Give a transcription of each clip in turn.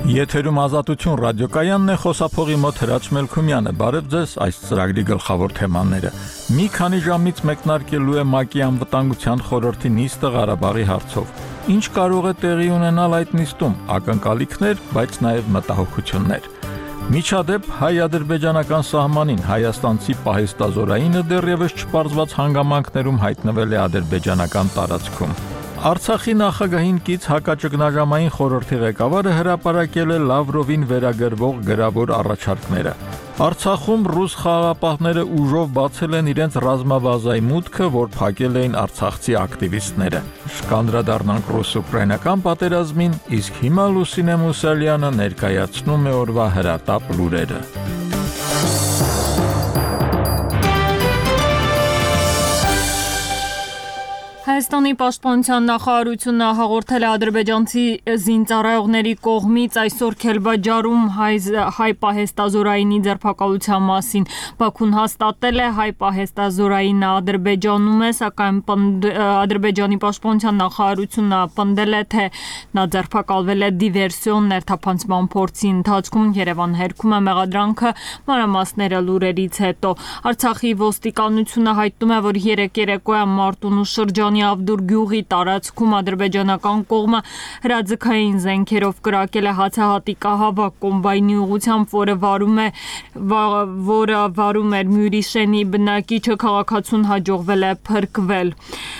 Եթերում Ազատություն ռադիոկայանն է, խոսափողի մոտ Հրաչ Մելքումյանը։ Բարև ձեզ, այս ծրագրի գլխավոր թեմաները։ Մի քանի ժամից մեկնարկելու է ՄԱԿ-ի անվտանգության խորհրդի նիստը Ղարաբաղի հարցով։ Ինչ կարող է տեղի ունենալ այդ նիստում, ակնկալիքներ, բայց նաև մտահոգություններ։ Միջադեպ հայ-ադրբեջանական սահմանին հայաստանցի պահեստազորայինը դեռևս չպարզված հանգամանքներում հայտնվել է ադրբեջանական տարածքում։ Արցախի նախագահին կից հակաճգնաժամային խորհրդի ղեկավարը հրապարակել է Լավրովին վերագրվող գրավոր առաջարկները։ Արցախում ռուս խաղաղապահները ուժով բացել են իրենց ռազմաբազայի մուտքը, որ փակել էին արցախցի ակտիվիստները։ Կանդրադառնանք ռուս-ուկրաինական պատերազմին, իսկ հիմա Լուսինե Մուսալյանը ներկայացնում է օրվա հրատապ լուրերը։ Հայաստանի պաշտպանության նախարարությունը հաղորդել է ադրբեջանցի զինծառայողների կողմից այսօր Քելբաջարում հայ պահեստազորայինի ձերբակալության մասին։ Բաքուն հաստատել է հայ պահեստազորայինը Ադրբեջանում է, սակայն Ադրբեջանի պաշտպանության նախարարությունը պնդել է, թե նա ձերբակալվել է դիվերսիոն ներթափանցման փորձի ընթացքում։ Երևան հերքում է մեղադրանքը, մանրամասները լուրերից հետո։ Արցախի ոստիկանությունը հայտնում է, որ երեկոյան Մարտունու շրջանի Ավդուր գյուղի տարածքում ադրբեջանական կողմը հրաձգային զենքերով կրակել է հացահատիկահավաք կոմբայնի ուղղությամբ, որը վարում էր Մյուրիշենի բնակիչը, քաղաքացուն հաջողվել է փրկվել։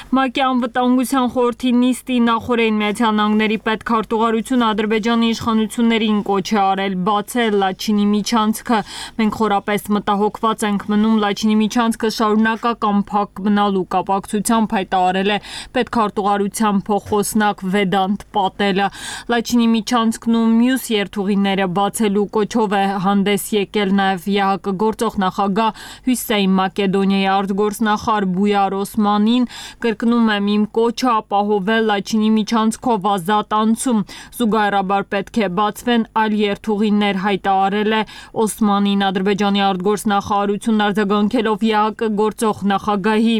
ՄԱԿ-ի անվտանգության խորհրդի նիստի նախօրեին Միացյալ Նահանգների պետքարտուղարությունը Ադրբեջանի իշխանություններին կոչ է արել բացել Լաչինի միջանցքը։ Մենք խորապես մտահոգված ենք մնում Լաչինի միջանցքը շարունակական փակ մնալու կապակցությամբ, հայտարարել է պետքարտուղարության փոխոսնակ Վեդանտ Պատելը։ Լաչինի միջանցքն ու մյուս երթուղիները բացելու կոչով է հանդես եկել նաև ԵԱՀԿ գործող նախագահ Հյուսեյն Մակեդոնիայի արտգործնախարար Բույար Օսմանին, կրկնում եմ իմ կոչը ապահովել Լաչինի միջանցքով ազատ անցում, զուգահեռաբար պետք է բացվեն այլ երթուղիներ, հայտարարել է Օսմանին։ Ադրբեջանի արտգործնախարարությունն արձագանքելով ԵԱՀԿ գործող նախագահի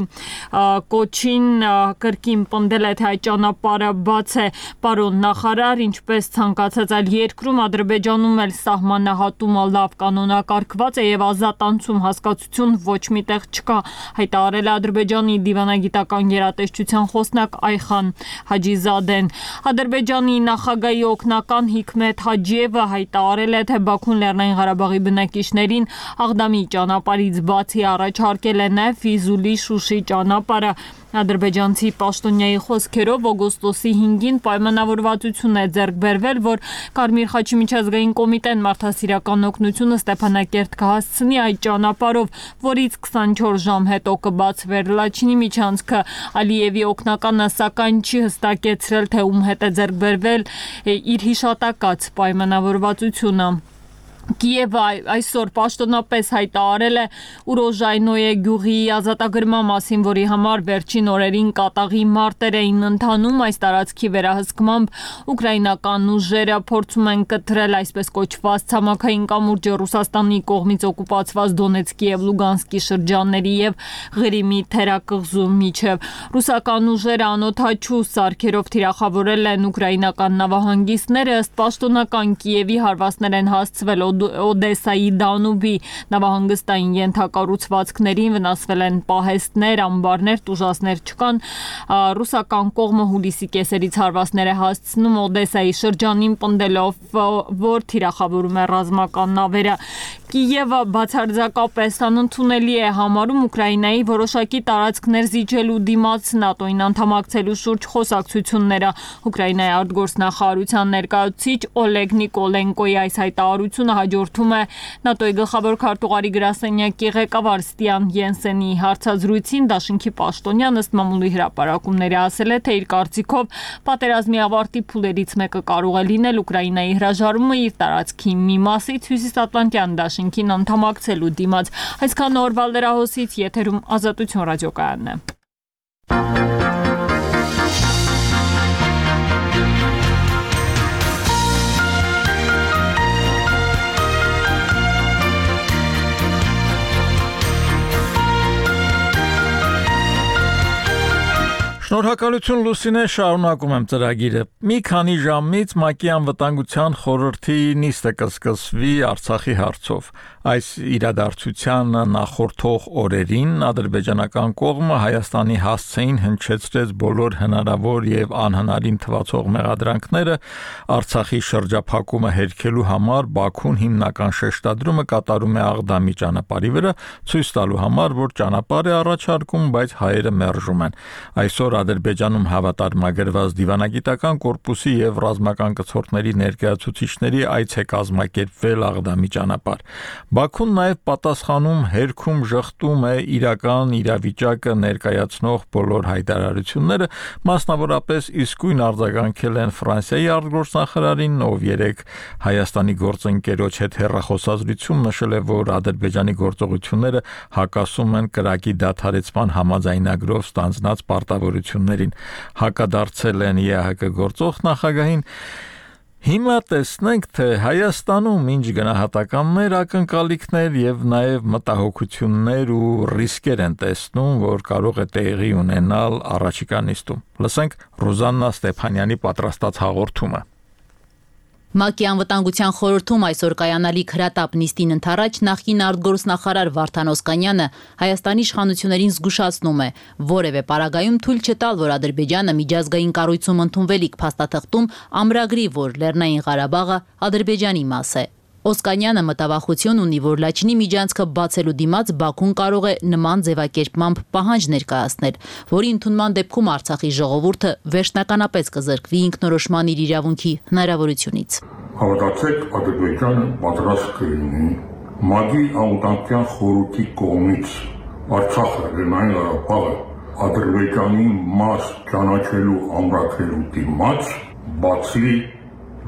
կոչին կրկին պնդել է, թե այդ ճանապարհը բաց է։ Պարոն նախարար, ինչպես ցանկացած այլ երկրում, Ադրբեջանում էլ սահմանահատումը լավ կանոնակարգված է եւ ազատ անցում հասկացություն ոչ միտեղ չկա, հայտարարել է Ադրբեջանի դիվանագիտական գերատեսչության խոսնակ Այխան Հաջիզադեն։ Ադրբեջանի նախագահի օգնական Հիկմետ Հաջիևը հայտարարել է, թե Բաքուն Լեռնային Ղարաբաղի բնակիչներին Աղդամի ճանապարհից բացի առաջարկել է նաև Ֆիզուլի Շուշի ճանապարհը։ Ադրբեջանցի պաշտոնյայի խոսքերով օգոստոսի 5-ին պայմանավորվածություն է ձեռք բերվել, որ Կարմիր խաչի միջազգային կոմիտեն մարդասիրական օգնությունը Ստեփանակերտ կհասցնի այդ ճանապարհով, որից 24 ժամ հետո կբացվեր Լաչինի միջանցքը։ Ալիևի օգնականը սակայն չի հստակեցրել, թե ում հետ է ձեռք բերվել իր հիշատակած պայմանավորվածությունը։ Կիևը այսօր պաշտոնապես հայտարարել է Ուրոժայնոյե գյուղի ազատագրման մասին, որի համար վերջին օրերին կատաղի մարտեր էին ընթանում։ Այս տարածքի վերահսկմամբ ուկրաինական ուժերը փորձում են կտրել այսպես կոչված ցամաքային կամուրջը Ռուսաստանի կողմից օկուպացված Դոնեցկի եւ Լուգանսկի շրջանների եւ Ղրիմի թերակղզու միջև։ Ռուսական ուժերը անօդաչու սարքերով թիրախավորել են ուկրաինական նավահանգիստները, ըստ պաշտոնական Կիևի հարվածներ են հասցվել Օդեսայի Դանուբի նավահանգստային ենթակառուցվածքներին, վնասվել են պահեստներ, ամբարներ, տուժածներ չկան։ Ռուսական կողմը հուլիսի կեսերից հարվածներ է հասցնում Օդեսայի շրջանին, պնդելով, որ թիրախավորում է ռազմական նավերը։ Կիևը բացարձակապես անընդունելի է համարում Ուկրաինայի որոշակի տարածքներ զիջելու դիմաց ՆԱՏՕ-ին անդամակցելու շուրջ խոսակցությունները։ Ուկրաինայի արտգործնախարարության ներկայացուցիչ Օլեգ Նիկոլենկոյի այս հայտարարությունը հաջորդում է ՆԱՏՕ-ի գլխավոր քարտուղարի գրասենյակի ղեկավար Ստիան Յենսենի հարցազրույցին։ Դաշինքի պաշտոնյան ըստ մամուլի հրապարակումների ասել է, թե իր կարծիքով պատերազմի ավարտի փուլերից մեկը կարող է լինել Ուկրաինայի հրաժարումը իր տարածքի մի մասից Հյուսիսատլանտյան դաշինքին անդամակցելու դիմաց։ Այսքան օրվա լրահոսից եթերում Ազատություն ռադիոկայանն է։ Շնորհակալ Շնորհակալություն Լուսինե, շարունակում եմ ծրագիրը։ Մի քանի ժամից ՄԱԿ-ի անվտանգության խորհրդի նիստը կսկսվի Արցախի հարցով։ Այս իրադարձությանը նախորդող օրերին ադրբեջանական կողմը Հայաստանի հասցեին հնչեցրեց բոլոր հնարավոր եւ անհնարին թվացող մեղադրանքները Արցախի շրջափակումը հերքելու համար Բաքուն հիմնական շեշտադրումը կատարում է Աղդամի ճանապարհի վրա, ցույց տալու համար, որ ճանապարհ է առաջարկում, բայց հայերը մերժում են։ Այսօր Ադրբեջանում հավատարմագրված դիվանագիտական կորպուսի եւ ռազմական կցորդների ներկայացուցիչների այց է կազմակերպվել Աղդամի ճանապարհ։ Բաքուն նաեւ պատասխանում հերքում ժխտում է իրական իրավիճակը ներկայացնող բոլոր հայտարարությունները, մասնավորապես իսկույն արձագանքել են Ֆրանսիայի արտգործնախարարին, ով երեկ Հայաստանի գործընկերոջ հետ հեռախոսազրույցում նշել է, որ Ադրբեջանի գործողությունները հակասում են կրակի դադարեցման համաձայնագրով ստանձնած պարտավորություններին, հակադարձել են ԵԱՀԿ գործող նախագահին։ Հիմա տեսնենք, թե Հայաստանում ինչ գնահատականներ, ակնկալիքներ եւ նաեւ մտահոգություններ ու ռիսկեր են տեսնում, որ կարող է տեղի ունենալ առաջիկա նիստում։ Լսենք Ռուզաննա Ստեփանյանի պատրաստած հաղորդումը։ ՄԱԿ-ի անվտանգության խորհրդում այսօր կայանալիք հրատապ նիստին ընդառաջ նախկին արտգործնախարար Վարդան Օսկանյանը Հայաստանի իշխանություններին զգուշացնում է, որևէ պարագայում թույլ չտալ, որ Ադրբեջանը միջազգային կառույցում ընդունվելիք փաստաթղթում ամրագրի, որ Լեռնային Ղարաբաղը Ադրբեջանի մաս է։ Օսկանյանը մտավախություն ունի, որ Լաչինի միջանցքը բացելու դիմաց Բաքուն կարող է նման ձևակերպմամբ պահանջ ներկայացնել, որի ընդունման դեպքում Արցախի ժողովուրդը վերջնականապես կզրկվի ինքնորոշման իր իրավունքի հնարավորությունից։ Հավատացեք, Ադրբեջանը պատրաստ կլինի ՄԱԿ-ի անվտանգության խորհրդի կողմից Արցախը, Լեռնային Ղարաբաղը Ադրբեջանի մաս ճանաչելու ամրագրելու դիմաց բացի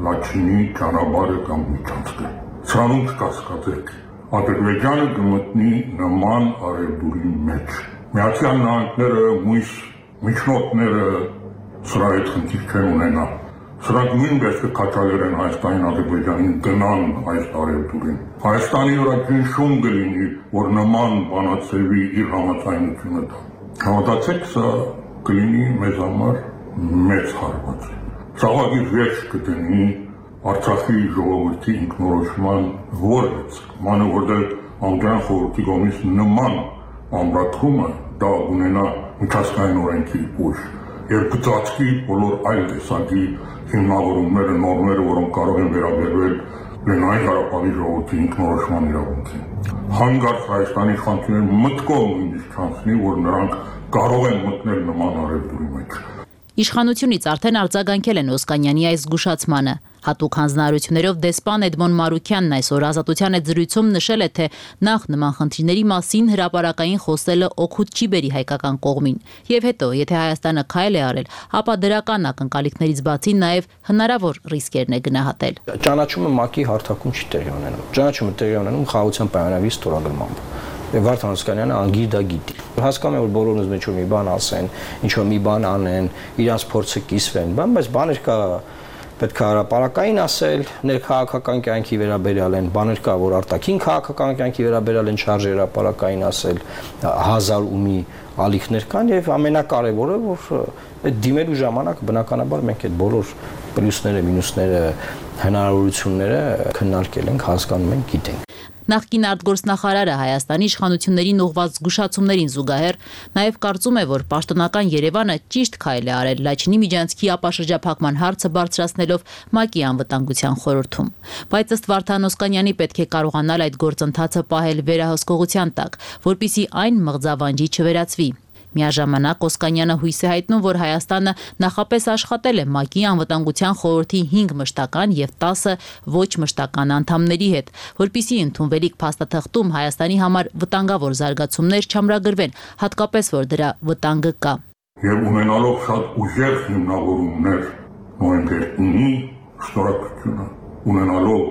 Լաչինի ճանապարհը կամ միջանցքը։ Սրանում կասկածեք, Ադրբեջանը կմտնի նման արևդուրի մեջ։ Միացյալ Նահանգները, մույս միջնորդները սրա հետ խնդիր չեն ունենա։ Սրանք նույնպես կքաջալերեն Հայաստանին, Ադրբեջանին գնան այս արևդուրին։ Հայաստանի վրա ճնշում կլինի, որ նման բանացեվի իր համաձայնությունը տա։ Հավատացեք, սա կլինի մեզ համար մեծ հարված։ Ցավալի վերջ կդնի Արցախի ժողովրդի ինքնորոշման որից, մանավանդ անգլիան խորհրդի կողմից նման ամրագրումը դա ունենա միջազգային օրենքի ուժ եւ կծածկի բոլոր այլ տեսակի հիմնավորումները, նորմերը, որոնք կարող են վերաբերվել Լեռնային Ղարաբաղի ժողովրդի ինքնորոշման իրավունքին։ Հանկարծ Հայաստանի իշխանությունները մտքով նույնիսկ չանցնի, որ նրանք կարող են մտնել նման արևդուրի մեջ։ Իշխանությունից արդեն արձագանքել են Օսկանյանի այս զգուշացմանը։ Հատուկ հանձնարարություններով դեսպան Էդմոն Մարուքյանն այսօր Ազատության հետ զրույցում նշել է, թե նախ նման խնդիրների մասին հրապարակային խոսելը օգուտ չի բերի հայկական կողմին։ Եվ հետո, եթե Հայաստանը քայլ է արել, ապա դրական ակնկալիքներից բացի նաև հնարավոր ռիսկերն է գնահատել։ Ճանաչումը ՄԱԿ-ի հարթակում չի տեղի ունենում։ Ճանաչումը տեղի ունենում խաղաղության պայմանագրի ստորագրմամբ։ Վարդան Օսկանյանը անգիր դա գիտի։ Հասկանում եմ, որ բոլորն ուզում են ինչ-որ մի բան ասեն, ինչ-որ մի բան անեն, իրանց փորձը կիսվեն, բայց բաներ կա պետք է հրապարակային ասել, ներքաղաքական կյանքի վերաբերյալ են, բաներ կա, որ արտաքին քաղաքական կյանքի վերաբերյալ են շարժ հրապարակային ասել, հազար ու մի ալիքներ կան եւ ամենակարևորը, որ այդ դիմելու ժամանակ բնականաբար մենք այդ բոլոր պլյուսները, մինուսները, հնարավորությունները քննարկել ենք, հասկանում ենք, գիտենք։ Նախկին արտգործնախարարը Հայաստանի իշխանություններին ուղղված զգուշացումներին զուգահեռ նաև կարծում է, որ պաշտոնական Երևանը ճիշտ քայլ է արել Լաչինի միջանցքի ապաշրջափակման հարցը բարձրացնելով ՄԱԿ-ի անվտանգության խորհրդում։ Բայց ըստ Վարդան Օսկանյանի պետք է կարողանալ այդ գործընթացը պահել վերահսկողության տակ, որպեսզի այն մղձավանջի չվերածվի։ Միաժամանակ Օսկանյանը հույս է հայտնում, որ Հայաստանը նախապես աշխատել է ՄԱԿ-ի անվտանգության խորհրդի 5 մշտական եւ 10 ոչ մշտական անդամների հետ, որպիսի ընդունվելիք փաստաթղթում Հայաստանի համար վտանգավոր զարգացումներ չամրագրվեն, հատկապես որ դրա վտանգը կա։ Եվ ունենալով շատ ուժեղ հիմնավորումներ նոյեմբերի շտորակությունը, ունենալով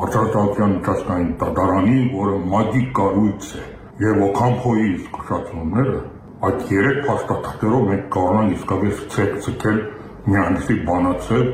արտադրության միջազգային դատարանի, որը ՄԱԿ-ի կառույց է, եւ Օքամփոյի զգուշացումները այդ երեք փաստաթղթերով մենք կարողանանք իսկապես ցկել միանցի բանացել,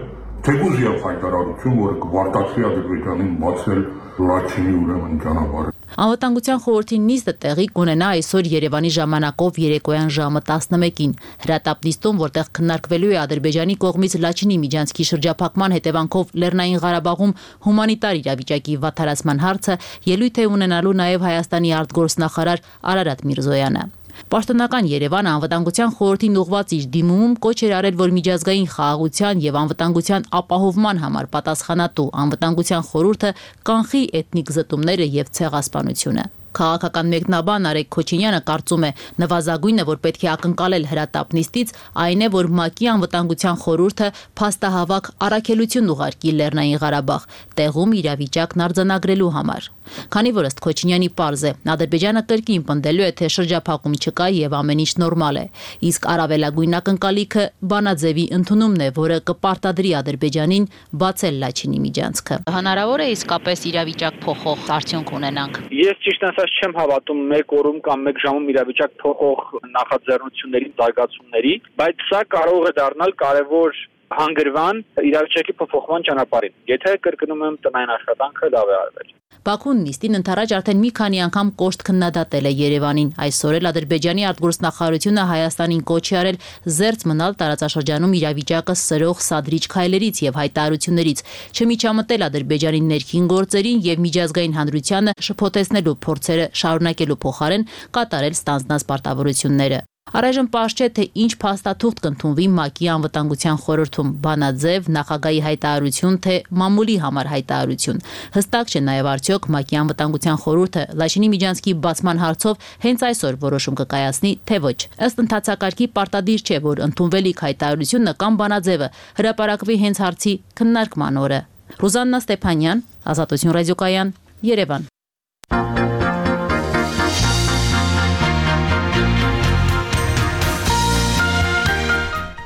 թեկուզ եւ հայտարարություն, որը կվարտացվի Ադրբեջանին բացել Լաչինի ուրեմն ճանապարհը։ Անվտանգության խորհրդի նիստը տեղի կունենա այսօր Երևանի ժամանակով երեկոյան ժամը 11-ին։ Հրատապ նիստում, որտեղ քննարկվելու է Ադրբեջանի կողմից Լաչինի միջանցքի շրջափակման հետևանքով Լեռնային Ղարաբաղում հումանիտար իրավիճակի վատթարացման հարցը, ելույթ է ունենալու նաև Հայաստանի արտգործնախարար Արարատ Միրզոյանը։ Պաշտոնական Երևանը անվտանգության խորհրդին ուղղված իր դիմումում կոչ էր արել, որ միջազգային խաղաղության եւ անվտանգության ապահովման համար պատասխանատու անվտանգության խորհուրդը կանխի էթնիկ զտումները եւ ցեղասպանությունը։ Քաղաքական մեկնաբան Արեգ Քոչինյանը կարծում է, նվազագույնը, որ պետք է ակնկալել հրատապ նիստից, այն է, որ ՄԱԿ-ի անվտանգության խորհուրդը փաստահավաք առաքելություն ուղարկի Լեռնային Ղարաբաղ, տեղում իրավիճակն արձանագրելու համար։ Քանի որ ըստ Քոչինյանի պարզ է, Ադրբեջանը կրկին պնդելու է, թե շրջափակում չկա եւ ամեն ինչ նորմալ է, իսկ առավելագույն ակնկալիքը բանաձևի ընդունումն է, որը կպարտադրի Ադրբեջանին բացել Լաչինի միջանցքը։ Հնարավոր է իսկապես իրավիճակ փոխող արդյունք ունենանք։ Ես ճիշտ ասած չեմ հավատում 1 օրում կամ 1 ժամում իրավիճակ փոխող նախաձեռնությունների, զարգացումների, բայց սա կարող է դառնալ կարևոր հանգրվան իրավիճակի փոփոխման ճանապարհին։ Եթե կրկնում եմ տնային աշխատանքը լավ է արվել։ Բաքուն նիստին ընթരാճ արդեն մի քանի անգամ կոշտ քննադատել է Երևանին։ Այսօր էլ Ադրբեջանի արտգործնախարարությունը Հայաստանին կոչ է արել զերծ մնալ տարածաշրջանում իրավիճակը սրող սադրիչ քայլերից եւ հայտարարություններից, չմիջամտել Ադրբեջանի ներքին գործերին եւ միջազգային հանրությանը շփոթեցնելու փորձերը շարունակելու փոխարեն կատարել ստանձնած պարտավորությունները։ Առայժմ պարզ չէ, թե ինչ փաստաթուղթ կընդունվի ՄԱԿ-ի անվտանգության խորհրդում՝ բանաձև, նախագահի հայտարարություն, թե մամուլի համար հայտարարություն։ Հստակ չէ նաև արդյոք ՄԱԿ-ի անվտանգության խորհուրդը Լաչինի միջանցքի բացման հարցով հենց այսօր որոշում կկայացնի, թե ոչ։ Ըստ ընթացակարգի պարտադիր չէ, որ ընդունվելիք հայտարարությունը կամ բանաձևը հրապարակվի հենց հարցի քննարկման օրը։ Ռուզաննա Ստեփանյան, Ազատություն ռադիոկայան, Երևան։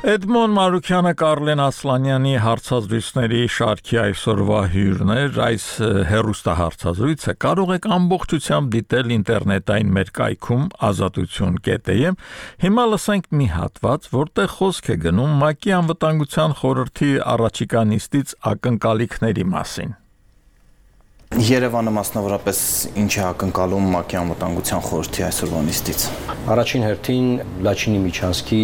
Էդմոն Մարուկյանը Կարլեն Ասլանյանի հարցազրույցների շարքի այսօրվա հյուրն էր, այս հեռուստահարցազրույցը կարող եք ամբողջությամբ դիտել ինտերնետային մեր կայքում azatutun.am։ Հիմա լսենք մի հատված, որտեղ խոսք է գնում ՄԱԿ-ի անվտանգության խորհրդի առաջիկա նիստից ակնկալիքների մասին։ Երևանը մասնավորապես ինչ է ակնկալում ՄԱԿ-ի անվտանգության խորհրդի այսօրվա նիստից։ Առաջին հերթին Լաչինի միջանցքի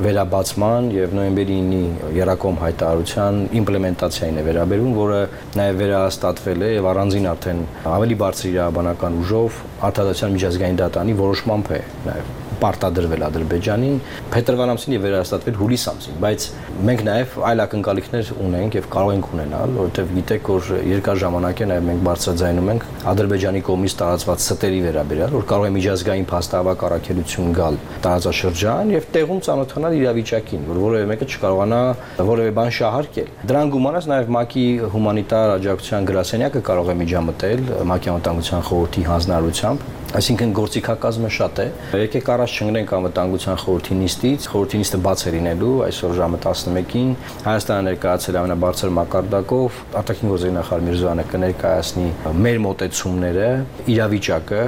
վերաբացման եւ նոյեմբերի 9-ի Երակոմ հայտարարության իմպլեմենտացիային է վերաբերում, որը նաեւ վերահաստատվել է եւ առանձին արդեն ավելի բարձր իրավաբանական ուժով Արտադրության միջազգային դատարանի որոշմամբ է նաեւ պարտադրվել Ադրբեջանին փետրվար ամսին եւ վերահաստատվել հուլիս ամսին, բայց մենք նաեւ այլ ակնկալիքներ ունենք եւ կարող ենք ունենալ, որովհետեւ գիտեք, որ երկար ժամանակ է նաեւ մենք բարձրաձայնում ենք Ադրբեջանի կողմից տարածված ստերի վերաբերյալ, որ կարող է միջազգային փաստահավաք առաքելություն գալ տարածաշրջան եւ տեղում ծանոթանալ իրավիճակին, որ որևէ մեկը չկարողանա որևէ բան շահարկել։ Դրան գումարած նաեւ ՄԱԿ-ի հումանիտար աջակցության գրասենյակը կարող է միջամտել ՄԱԿ-ի անվտանգության խորհրդի հանձնարարությամբ, այսինքն գործիքակազմը շատ է։ Եկեք առաջ չընկնենք անվտանգության խորհրդի նիստից։ Խորհրդի նիստը բաց է լինելու այսօր ժամը 11-ին։ Հայաստանը ներկայացել ամենաբարձր մակարդակով արտաքին գործերի նախարար Միրզոյանը կներկայացնի մեր մոտեցումները, իրավիճակը,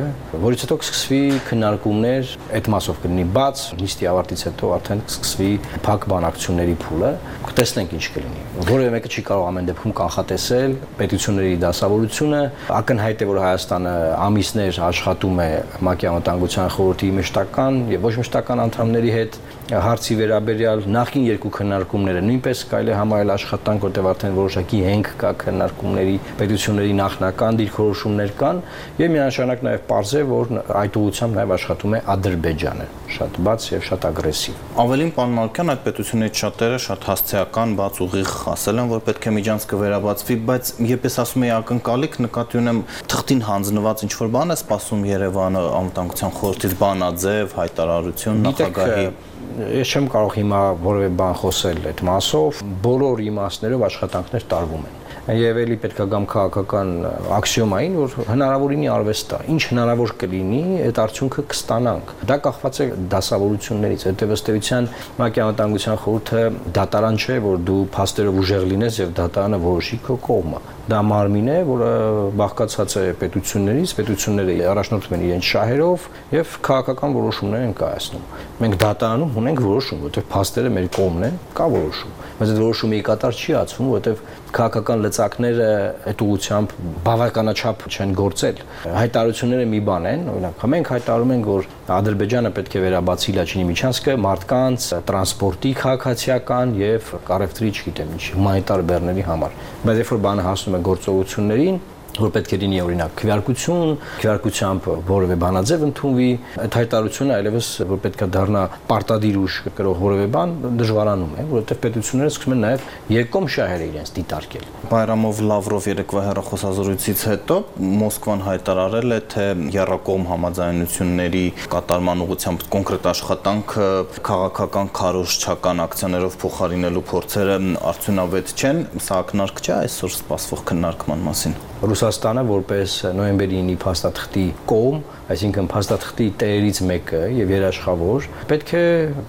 որից հետո կսկսվի քննարկումներ, այդ մասով կլինի բաց, նիստի ավարտից հետո արդեն կսկսվի փակ բանակցությունների փուլը։ Կտեսնենք ինչ կլինի։ Որևէ մեկը չի կարող ամեն դեպքում կանխատեսել պետությունների դասավորությունը։ Ակնհայտ է, որ Հայաստանը ամիսներ աշխատում է ՄԱԿ-ի անվտանգության խորհրդի մշտական եւ ոչ մշտական անդամների հետ հարցի վերաբերյալ նախին երկու քննարկումները նույնպես կարելի է համարել աշխատանք, որտեղ արդեն որոշակի հենք կա քննարկումների, պետությունների նախնական դիրքորոշումներ կան եւ միանշանակ նաեւ պարզ է, որ այդ ուղղությամբ նաեւ աշխատում է Ադրբեջանը, շատ բաց եւ շատ ագրեսիվ։ Ավելին, պարոն Մարուկյան, այդ պետություններից շատերը շատ հասցեական, բաց ուղիղ ասել են, որ պետք է միջանցքը վերաբացվի, բայց երբ ես ասում եմ ակնկալիք, նկատի ունեմ թղթին հանձնված ինչ-որ բան է սպասում Երևանը անվտանգության խորհրդից, բանաձև, հայտարարություն, նախագահի։ Ես չեմ կարող հիմա որևէ բան խոսել այդ մասով, բոլոր իմաստներով աշխատանքներ տարվում են։ Եվ էլի պետք է գամ քաղաքական աքսիոմային, որ հնարավորինի արվեստ է։ Ինչ հնարավոր կլինի, այդ արդյունքը կստանանք։ Դա կախված է դասավորություններից։ Հետո ըստեյության ՄԱԿ-ի անվտանգության խորհուրդը դատարան չէ, որ դու փաստերով ուժեղ լինես եւ դատարանը որոշի քո կողմը։ Դա մարմին է, որը բաղկացած է պետություններից, պետությունները առաջնորդվում են իրենց շահերով եւ քաղաքական որոշումներ են կայացնում։ Մենք դատարանում ունենք որոշում, որտեղ փաստերը մեր կողմն են, կա որոշում։ բայց այդ որոշումը կատար չի ածվում, որովհետև քաղաքական լծակները այդ ուղղությամբ բավականաչափ չեն գործել։ Հայտարարությունները մի բան են, օրինակ, մենք հայտարարում ենք, որ Ադրբեջանը պետք է վերաբացի Լաչինի միջանցքը մարդկանց տրանսպորտի քաղաքացիական եւ առևտրի, չգիտեմ ինչ, հումանիտար բեռների համար։ Բայց երբ որ բանը հասնում է գործողություններին, որ պետք է լինի օրինակ քվեարկությամբ որևէ բանաձև ընդունվի, այդ հայտարարությունը այլևս որ պետք է դառնա պարտադիր ուժ կրող որևէ բան դժվարանում է, որովհետև պետությունները սկսում են նաև երկկողմ շահերը իրենց դիտարկել։ Բայրամով Լավրով երեկվա հեռախոսազրույցից հետո Մոսկվան հայտարարել է, թե եռակողմ համաձայնությունների կատարման ուղղությամբ կոնկրետ աշխատանքը քաղաքական քարոզչական ակցիաներով փոխարինելու փորձերը արդյունավետ չեն, սա ակնարկ չէ այսօր սպասվող քննարկման մասին։ Ռուսաստանը որպես նոյեմբերի 9-ի փաստաթղթի կողմ, այսինքն փաստաթղթի տերերից մեկը եւ երաշխավոր, պետք է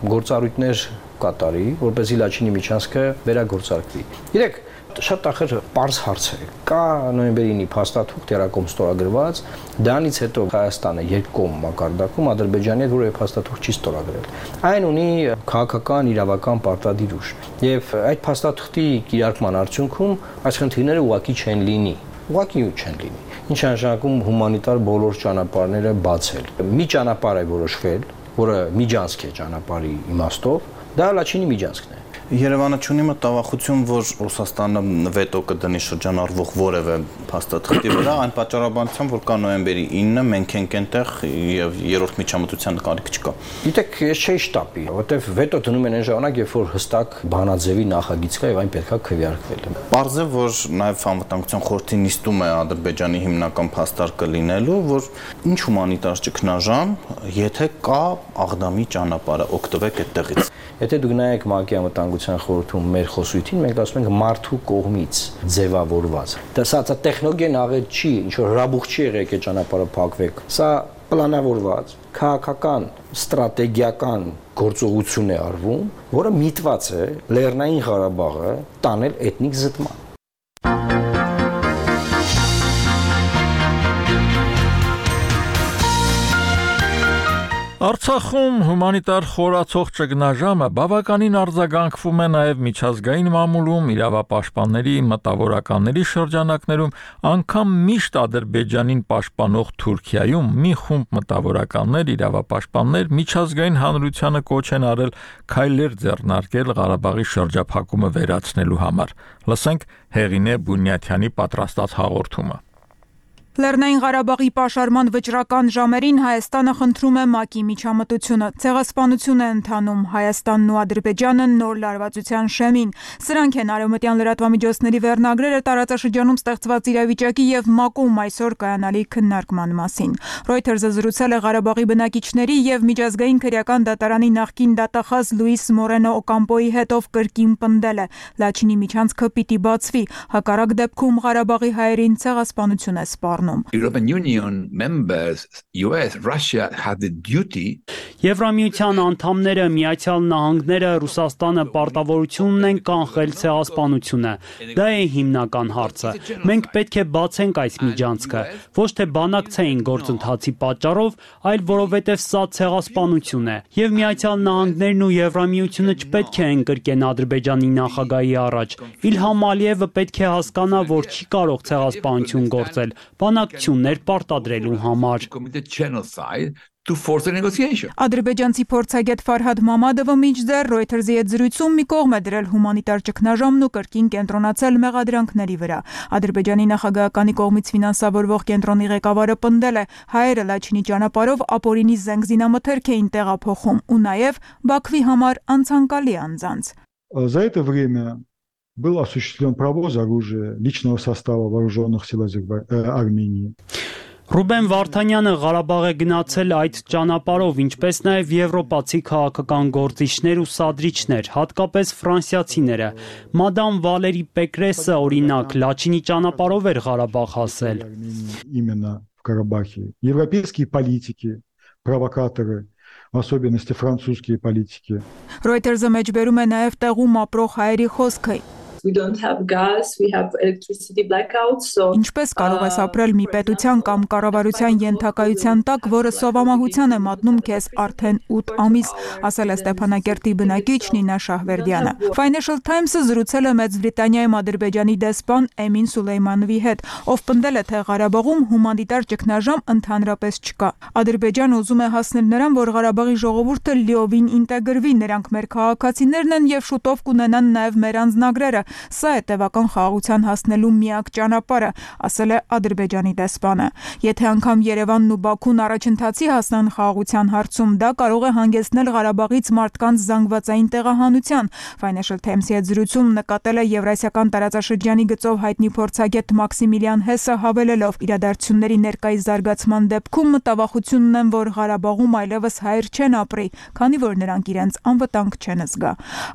գործառույթներ կատարի, որպեսզի Լաչինի միջանցքը վերագործարկվի։ Գիտեք, շատ ախր պարզ հարց է։ Կա նոյեմբերի 9-ի փաստաթուղթ երակողմ ստորագրված, դրանից հետո Հայաստանը երկկողմ մակարդակում Ադրբեջանի հետ որևէ փաստաթուղթ չի ստորագրել։ Այն ունի քաղաքական, իրավական պարտադիր ուժ։ Եվ այդ փաստաթղթի կիրարկման արդյունքում այս խնդիրները ուղղակի չեն լինի։ Ուղղակի չեն լինի։ Ինչ նշանակում հումանիտար բոլոր ճանապարհները բացել։ Մի ճանապարհ է որոշվել, որը միջանցք է ճանապարհի իմաստով, դա Լաչինի միջանցքն է։ Երևանը չունի մտավախություն, որ Ռուսաստանը վետո կդնի շրջանառվող որևէ փաստաթղթի վրա, այն պատճառաբանությամբ, որ կա նոյեմբերի 9-ը, մենք ենք այնտեղ եւ երրորդ միջամտության կարիք չկա։ Գիտեք, ես չէի շտապի, որովհետեւ վետո դնում են այն ժամանակ, երբ որ հստակ բանաձևի նախագիծ կա եւ այն պետքա քվեարկվել։ Պարզ է, որ նաեւ անվտանգության խորհրդի նիստում է Ադրբեջանի հիմնական փաստարկը լինելու, որ ինչ հումանիտար ճգնաժամ, եթե կա Աղդամի ճանապարհը, օգտվեք այդտեղից։ Եթե դուք նայեք ՄԱԿ-ի անվտանգության խորհրդում մեր խոսույթին, մենք ասում ենք մարդու կողմից ձևավորված։ Դա տեխնոլոգիան աղետ չի, ինչ որ հրաբուխ չի եղել այդ ճանապարհը փակվեք։ Սա պլանավորված, քաղաքական, ստրատեգիական գործողություն է արվում, որը միտված է Լեռնային Ղարաբաղը տանել էթնիկ զտման։ Արցախում հումանիտար խորացող ճգնաժամը բավականին արձագանքվում է նաև միջազգային մամուլում, իրավապաշտպանների, մտավորականների շրջանակներում, անգամ միշտ Ադրբեջանին պաշտպանող Թուրքիայում մի խումբ մտավորականներ, իրավապաշտպաններ միջազգային հանրությանը կոչ են արել քայլեր ձեռնարկել Ղարաբաղի շրջափակումը վերացնելու համար։ Լսենք Հեղինե Բունյաթյանի պատրաստած հաղորդումը։ Լեռնային Ղարաբաղի պաշարման վճռական ժամերին Հայաստանը խնդրում է ՄԱԿ-ի միջամտությունը։ Ցեղասպանություն է ընթանում Հայաստանն ու Ադրբեջանը նոր լարվածության շեմին։ Սրանք են արևմտյան լրատվամիջոցների վերնագրերը տարածաշրջանում ստեղծված իրավիճակի եւ ՄԱԿ-ում այսօր կայանալի քննարկման մասին։ Reuters-ը զրուցել է Ղարաբաղի բնակիչների եւ միջազգային քրեական դատարանի նախկին դատախազ Լուիս Մորենո Օկամպոյի հետ, ով կրկին պնդել է՝ Լաչինի միջանցքը պիտի բացվի, հակառակ դեպքում Ղարաբաղի հայերին ցեղասպանություն է սպառնում։ European Union members, US, Russia had the duty. Եվրամիության անդամները, Միացյալ Նահանգները, Ռուսաստանը պարտավորություն ունեն կանխել ցեղասպանությունը։ Դա է հիմնական հարցը։ Մենք պետք է բացենք այս միջանցքը, ոչ թե բանակցային գործընթացի պատճառով, այլ որովհետև սա ցեղասպանություն է։ Եվ Միացյալ Նահանգներն ու Եվրամիությունը չպետք է ընկրկեն Ադրբեջանի նախագահի առաջ։ Իլհամ Ալիևը պետք է հասկանա, որ չի կարող ցեղասպանություն գործել, բանակցություններ պարտադրելու համար։ Ադրբեջանցի փորձագետ Ֆարհադ Մամադովը մինչդեռ Reuters-ի հետ զրույցում մի կողմ է դրել հումանիտար ճգնաժամն ու կրկին կենտրոնացել մեղադրանքների վրա։ Ադրբեջանի նախագահականի կողմից ֆինանսավորվող կենտրոնի ղեկավարը պնդել է՝ հայերը Լաչինի ճանապարհով ապօրինի զենգզինամթերք էին տեղափոխում ու նաև Բաքվի համար անցանկալի անձանց։ За это время был осуществлен провоз оружия личного состава вооруженных сил Армении. Ռուբեն Վարդանյանը Ղարաբաղ է գնացել այդ ճանապարհով, ինչպես նաև եվրոպացի քաղաքական գործիչներ ու սադրիչներ, հատկապես ֆրանսիացիները։ Մադամ Վալերի Պեկրեսը, օրինակ, Լաչինի ճանապարհով էր Ղարաբաղ հասել։ Именно в Карабахе. Европейские политики, провокаторы, в особенности французские политики. Reuters-ը մեջբերում է նաև տեղում ապրող հայերի խոսքը։ We don't have gas, we have electricity blackouts, so Ինչպես կարող ես ապրել մի պետության կամ կառավարության ենթակայության տակ, որը սովամահության է մատնում քեզ արդեն 8 ամիս, ասել է Ստեփանակերտի բնակիչ Նինա Շահվերդյանը։ Financial Times-ը զրուցել է Մեծ Բրիտանիայում Ադրբեջանի դեսպան Էմին Սուլեյմանովի հետ, ով պնդել է, թե Ղարաբաղում հումանիտար ճգնաժամ ընդհանրապես չկա։ Ադրբեջանը ուզում է հասնել նրան, որ Ղարաբաղի ժողովուրդը լիովին ինտեգրվի, նրանք մեր քաղաքացիներն են եւ շուտով կունենան նաեւ մեր անձնագրերը։ Սա է տևական խաղաղության հասնելու միակ ճանապարհը, ասել է Ադրբեջանի դեսպանը։ Եթե անգամ Երևանն ու Բաքուն առաջընթացի հասնան խաղաղության հարցում, դա կարող է հանգեցնել Ղարաբաղից մարդկանց զանգվածային տեղահանության։ Financial Times-ի հետ զրույցում նկատել է Եվրասիական տարածաշրջանի գծով հայտնի փորձագետ Մաքսիմիլիան Հեսը, հավելելով. իրադարձությունների ներկայիս զարգացման դեպքում մտավախություն ունեն, որ Ղարաբաղում այլևս հայեր չեն ապրի, քանի որ նրանք իրենց անվտանգ չեն զգա։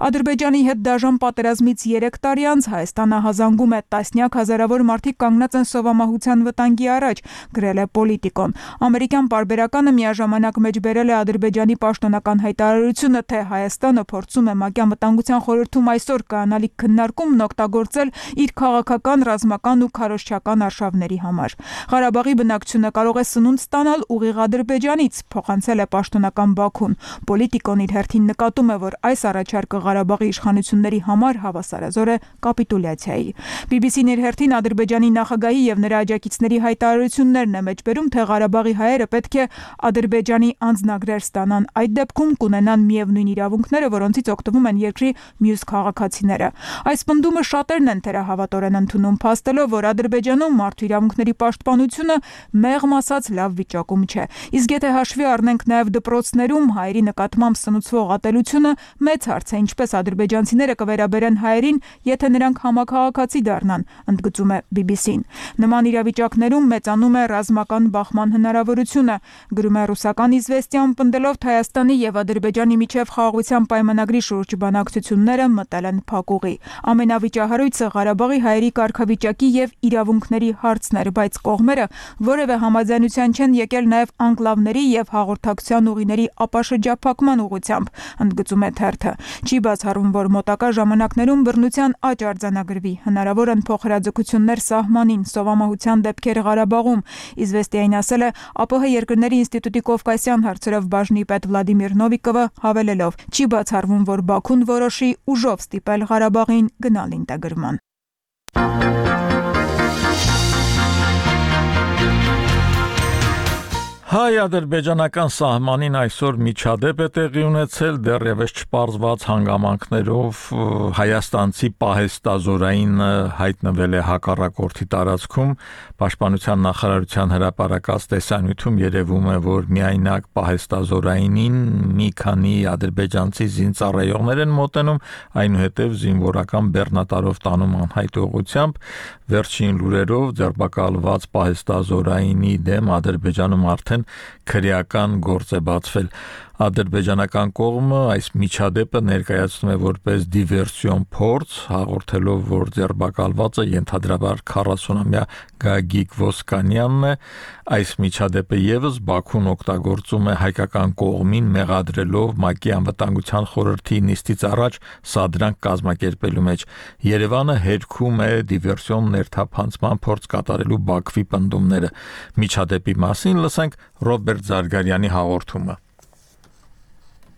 Ադրբեջանի հետ դաժան պատերազմից 3 տարի անց Հայաստանը հազանգում է տասնյակ հազարավոր մարդիկ կանգնած են սովամահության վտանգի առաջ, գրել է Պոլիտիկոն։ Ամերիկյան պարբերականը միաժամանակ մեջբերել է Ադրբեջանի պաշտոնական հայտարարությունը, թե Հայաստանը փորձում է ՄԱԿ-ի Անվտանգության խորհրդում այսօր կանալիք քննարկումն օգտագործել իր քաղաքական, ռազմական ու քարոզչական արշավների համար։ Ղարաբաղի բնակչությունը կարող է սնունդ ստանալ ուղիղ Ադրբեջանից, փոխանցել է պաշտոնական Բաքուն։ Պոլիտիկոն իր հերթին նկատում է, որ այս առաջարկը Ղարաբաղի իշխանությունների համար հավասարազոր է կապիտուլյացիայի։ BBC-ն իր հերթին Ադրբեջանի նախագահի եւ նրա աջակիցների հայտարարություններն է մեջբերում, թե Ղարաբաղի հայերը պետք է Ադրբեջանի անձնագրեր ստանան։ Այդ դեպքում կունենան միևնույն իրավունքները, որոնցից օգտվում են երկրի մյուս քաղաքացիները։ Այս պնդումը շատերն են թերահավատորեն ընդունում, փաստելով, որ Ադրբեջանում մարդու իրավունքների պաշտպանությունը մեղմ ասած լավ վիճակում չէ։ Իսկ եթե հաշվի առնենք նաև դպրոցներում հայերի նկատմամբ սնուցվող ատելությունը, մեծ հարց է, ինչպես ադրբեջանցիները կվերաբերեն հայերին, եթե նրանք համաքաղաքացի դառնան, ընդգծում է BBC-ն։ Նման իրավիճակներում մեծանում է ռազմական բախման հնարավորությունը, գրում է ռուսական Իզվեստիան, պնդելով, թե Հայաստանի եւ Ադրբեջանի միջև խաղաղության պայմանագրի շուրջ բանակցությունները մտել են փակուղի։ Ամենավիճահարույցը Ղարաբաղի հայերի կարգավիճակի եւ իրավունքների հարցն էր, բայց կողմերը որևէ համաձայնության չեն եկել նաև անկլավների եւ հաղորդակցության ուղիների ապաշրջափակման ուղղությամբ, ընդգծում է թերթը։ Չի բացառում, որ մոտակա ժամանակներում բռնության աճ արձանագրվի, հնարավոր են փոխհրաձգություններ սահմանին, սովամահության դեպքեր Ղարաբաղում։ Իզվեստիային ասել է ԱՊՀ երկրների ինստիտուտի կովկասյան հարցերով բաժնի պետ Վլադիմիր Նովիկովը, հավելելով. չի բացառվում, որ Բաքուն որոշի ուժով ստիպել Ղարաբաղին գնալ ինտեգրման։ Հայ-ադրբեջանական սահմանին այսօր միջադեպ է տեղի ունեցել, դեռևս չպարզված հանգամանքներով հայաստանցի պահեստազորային հայտնվել է հակառակորդի տարածքում։ Պաշտպանության նախարարության հրապարակած տեսանյութում երևում է, որ միայնակ պահեստազորայինին մի քանի ադրբեջանցի զինծառայողներ են մոտենում, այնուհետև զինվորական բեռնատարով տանում անհայտ ուղղությամբ։ Վերջին լուրերով ձերբակալված պահեստազորայինի դեմ Ադրբեջանում արդեն քրեական գործ է բացվել։ Ադրբեջանական կողմը այս միջադեպը ներկայացնում է որպես դիվերսիոն փորձ, հաղորդելով, որ ձերբակալվածը ենթադրաբար 40-ամյա Գագիկ Ոսկանյանն է։ Այս միջադեպը եւս Բաքուն օգտագործում է հայկական կողմին մեղադրելով ՄԱԿ-ի Անվտանգության խորհրդի նիստից առաջ սադրանք կազմակերպելու մեջ։ Երևանը հերքում է դիվերսիոն ներթափանցման փորձ կատարելու Բաքվի պնդումները։ Միջադեպի մասին լսենք Ռոբերտ Զարգարյանի հաղորդումը։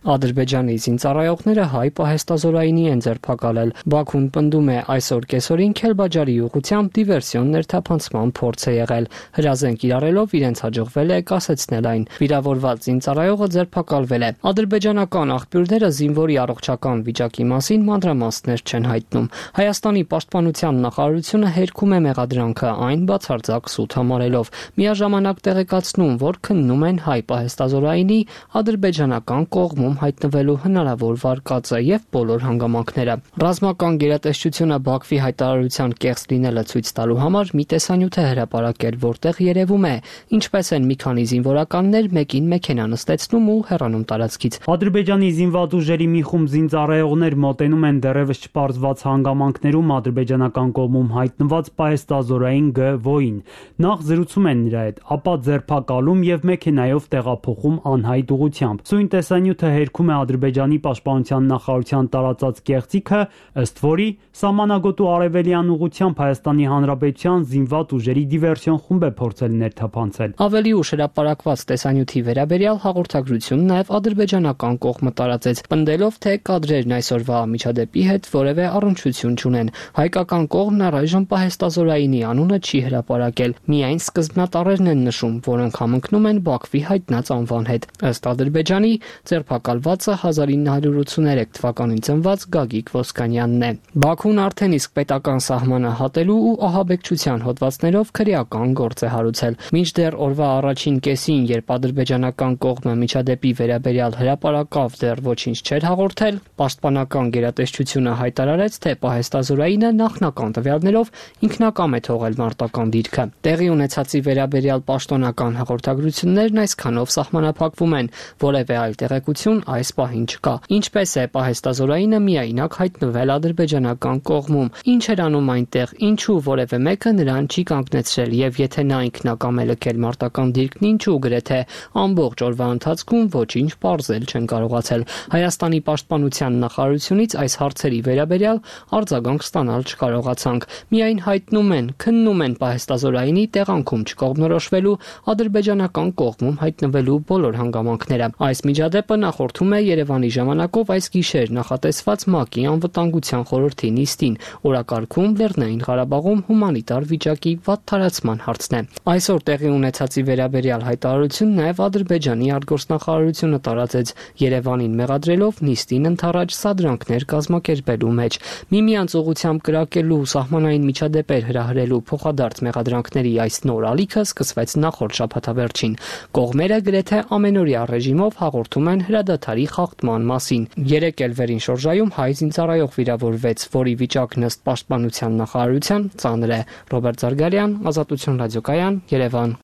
Ադրբեջանի զինծառայողները հայ պահեստազորայինի են ձերբակալել։ Բաքուն պնդում է այսօր կեսօրին Քելբաջարի ուղղությամբ դիվերսիոն ներթափանցման փորձ է եղել։ Հրազենք իրարելով իրենց հաջողվել է կասեցնել այն։ Վիրավորված զինծառայողը ձերբակալվել է։ Ադրբեջանական աղբյուրները զինվորի առողջական վիճակի մասին մանրամասներ չեն հայտնում։ Հայաստանի պաշտպանության նախարարությունը հերքում է մեղադրանքը, այն բացարձակ սուտ համարելով։ Միաժամանակ տեղեկացնում, որ քննում են հայ պահեստազորայինի ադրբեջանական կողմում հայտնվելու հնարավոր վարկածը եւ բոլոր հանգամանքները։ Ռազմական գերատեսչությունը Բաքվի հայտարարության կեղծ լինելը ցույց տալու համար մի տեսանյութ է հրապարակել, որտեղ երևում է ինչպես են մի քանի զինվորականներ մեկին մեքենա նստեցնում ու հեռանում տարածքից։ Ադրբեջանի զինված ուժերի մի խումբ զինծառայողներ մոտենում են դեռևս չպարզված հանգամանքներում ադրբեջանական կողմում հայտնված պահեստազորային Գ-Ոյին։ Նախ զրուցում են նրա հետ, ապա ձերբակալում եւ մեքենայով տեղափոխում անհայտ ուղղությամբ։ Սույն տեսանյութը երգում է Ադրբեջանի պաշտպանության նախարարության տարածած կեղծիքը, ըստ որի սահմանագոտու արևելյան ուղղությամբ Հայաստանի Հանրապետության զինված ուժերի դիվերսիոն խումբ է փորձել ներթափանցել։ Ավելի ուշ հրապարակված տեսանյութի վերաբերյալ հաղորդագրություն նաև ադրբեջանական կողմը տարածեց, պնդելով, թե կադրերն այսօրվա միջադեպի հետ որևէ առնչություն չունեն։ Հայկական կողմն առայժմ պահեստազորայինի անունը չի հրապարակել, միայն սկզբնատառերն են նշում, որոնք համընկնում են Բաքվի հայտնած անվան հետ։ Ըստ Ադրբեջանի, ձերբակալվածը 1983 թվականին ծնված Գագիկ Ոսկանյանն է։ Բաքուն արդեն իսկ պետական սահմանը հատելու ու ահաբեկչության հոդվածներով քրեական գործ է հարուցել։ Մինչդեռ օրվա առաջին կեսին, երբ ադրբեջանական կողմը միջադեպի վերաբերյալ հրապարակավ դեռ ոչինչ չէր հաղորդել, պաշտպանական գերատեսչությունը հայտարարեց, թե պահեստազորայինը նախնական տվյալներով ինքնակամ է թողել մարտական դիրքը։ Տեղի ունեցածի վերաբերյալ պաշտոնական հաղորդագրություններն այսքանով սահմանափակվում են, որևէ այլ տեղեկություն այս պահին չկա։ Ինչպես է պահեստազորայինը միայնակ հայտնվել ադրբեջանական կողմում, ինչ էր անում այնտեղ, ինչու որևէ մեկը նրան չի կանգնեցրել, եւ եթե նա ինքնակամ է լքել մարտական դիրքն, ինչու գրեթե ամբողջ օրվա ընթացքում ոչինչ պարզել չեն կարողացել։ Հայաստանի պաշտպանության նախարարությունից այս հարցերի վերաբերյալ արձագանք ստանալ չկարողացանք։ Միայն հայտնում են, քննում են պահեստազորայինի տեղանքում չկողմնորոշվելու ադրբեջանական կողմում հայտնվելու բոլոր հանգամանքները։ Այս միջադեպը նախորդում է Երևանի ժամանակով այս գիշեր նախատեսված ՄԱԿ-ի անվտանգության խորհրդի նիստին, օրակարգում Լեռնային Ղարաբաղում հումանիտար վիճակի վատթարացման հարցն է։ Այսօր տեղի ունեցածի վերաբերյալ հայտարարություն նաև Ադրբեջանի արտգործնախարարությունը տարածեց, Երևանին մեղադրելով նիստին ընդառաջ սադրանքներ կազմակերպելու մեջ։ Միմյանց ուղղությամբ կրակելու, սահմանային միջադեպեր հրահրելու փոխադարձ մեղադրանքների այս նոր ալիքը սկսվեց նախորդ շաբաթավերջին։ Կողմերը գրեթե ամենօրյա ռեժիմով հաղորդում են հրադադարի խախտման մասին։ Երեկ էլ վերին շորժայում հայ զինծառայող վիրավորվեց, որի վիճակն ըստ պաշտպանության նախարարության ծանր է։ Ռոբերտ Զարգարյան, Ազատություն ռադիոկայան, Երևան։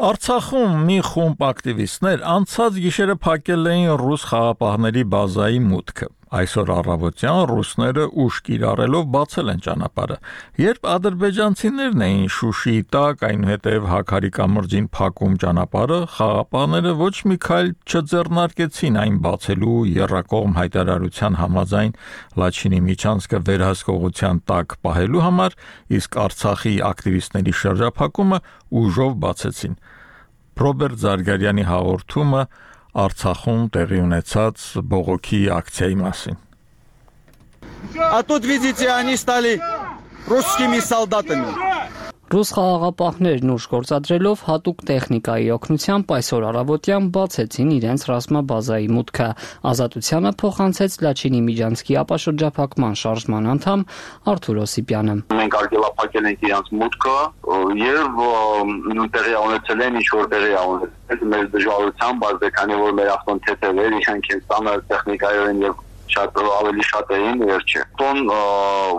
Արցախում մի խումբ ակտիվիստներ անցած գիշերը փակել էին ռուս խաղապահների բազայի մուտքը։ Այսօր առավոտյան ռուսները ուժ կիրառելով բացել են ճանապարհը։ Երբ ադրբեջանցիներն էին Շուշիի տակ, այնուհետև Հաքարի կամրջին փակում ճանապարհը, խաղապահները ոչ մի քայլ չձեռնարկեցին այն բացելու եռակողմ հայտարարության համաձայն Լաչինի միջանցքը վերահսկողության տակ պահելու համար, իսկ Արցախի ակտիվիստների շրջափակումը ուժով бացեցին։ Ռոբերտ Զարգարյանի հաղորդումը Արցախում տեղի ունեցած բողոքի ակցիայի մասին։ А тут, видите, они стали русскими солдатами. Ռուս խաղաղապահներն ուժ գործադրելով հատուկ տեխնիկայի օգնությամբ այսօր առավոտյան բացեցին իրենց ռազմաբազայի մուտքը։ Ազատությանը փոխանցեց Լաչինի միջանցքի ապաշրջափակման շարժման անդամ Արթուր Օսիպյանը։ Մենք արգելափակել ենք իրենց մուտքը եւ տեղի ունեցել են ինչ-որ տեղի ունեցել մեր դժվարությամբ, բայց քանի որ մեր ավտոնթեթեր իրանք են ստանալ տեխնիկայով եւ ավելի շատ էին վերջը։ Տոն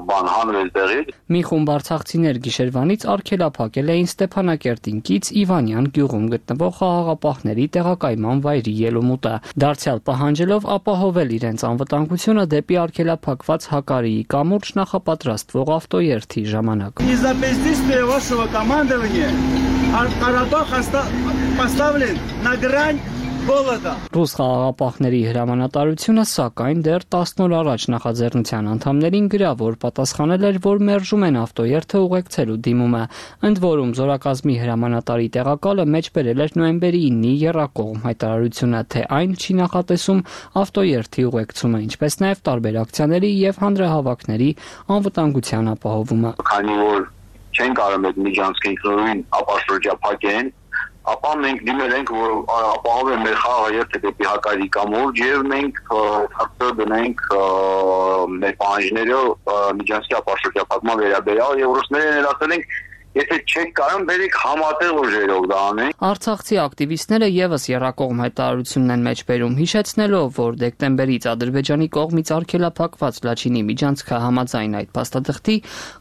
բան հանրել տեղի։ Մի խումբ արցախցիներ գիշերվանից արգելափակել էին Ստեփանակերտինքից Իվանյան գյուղում գտնվող խաղաղապահների տեղակայման վայրի ելումուտը, դարձյալ պահանջելով ապահովել իրենց անվտանգությունը դեպի արգելափակված Հակարիի կամուրջ նախապատրաստվող ավտոերթի ժամանակ։ Из-за бездействия вашего командования Карабах поставлен на грань Ռուս խաղաղապահների հրամանատարությունը սակայն դեռ 10 օր առաջ նախաձեռնության անդամներին գրավոր պատասխանել էր, որ մերժում են ավտոերթը ուղեկցելու դիմումը։ Ընդ որում զորակազմի հրամանատարի տեղակալը մեջբերել էր նոյեմբերի 9-ի եռակողմ հայտարարությունը, թե այն չի նախատեսում ավտոերթի ուղեկցումը, ինչպես նաև տարբեր ակցիաների եւ հանրահավաքների անվտանգության ապահովումը։ Քանի որ չեն կարող այդ միջանցքը ինքնուրույն ապաշրջափակեն, ապա մենք դիմել ենք, որ ապահովեն մեր խաղը երթը դեպի Հակարի կամուրջ եւ մենք հարկը դնենք մեր պահանջները միջանցքի ապաշրջափակման վերաբերյալ եւ ռուսներին էլ ասել ենք Եթե չեք կարող, բերեք համատեղ ուժերով դա անենք։ Արցախցի ակտիվիստները եւս երրակողմ հայտարարությունն են մեջբերում, հիշեցնելով, որ դեկտեմբերից Ադրբեջանի կողմից արգելափակված Լաչինի միջանցքը համաձայն այդ փաստաթղթի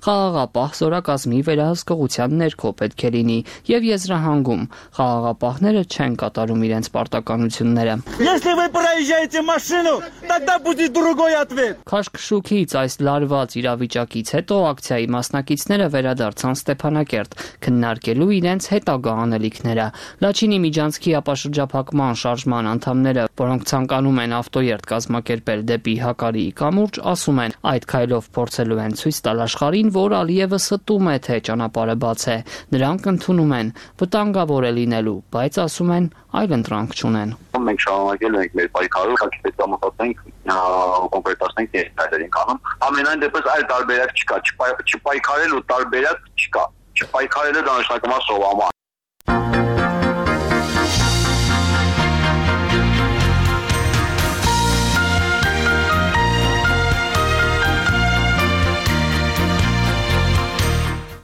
խաղաղապահ զորակազմի վերահսկողության ներքո պետք է լինի եւ եզրահանգում խաղաղապահները չեն կատարում իրենց պարտականությունները։ Если вы проезжаете машину, тогда будет другой ответ։ Քաշքշուկից այս լարված իրավիճակից հետո ակցիայի մասնակիցները վերադարձան Ստեփանակերտ քննարկելու իրենց հետագա անելիքները։ Լաչինի միջանցքի ապաշրջափակման շարժման անդամները, որոնք ցանկանում են ավտոերթ կազմակերպել դեպի Հակարիի կամուրջ, ասում են, այդ քայլով փորձելու են ցույց տալ աշխարհին, որ Ալիևը ստում է, թե ճանապարհը բաց է։ Նրանք ընդունում են, վտանգավոր է լինելու, բայց ասում են, այլ ընտրանք չունեն։ Մենք շարունակելու ենք մեր պայքարը, հաշվի մտածենք կոնկրետացնենք դերերին անում։ Ամենայն դեպս այլ տարբերակ չկա, չպայքարելու տարբերակ չկա։ Չպայքարելը դա նշանակում է սովամա։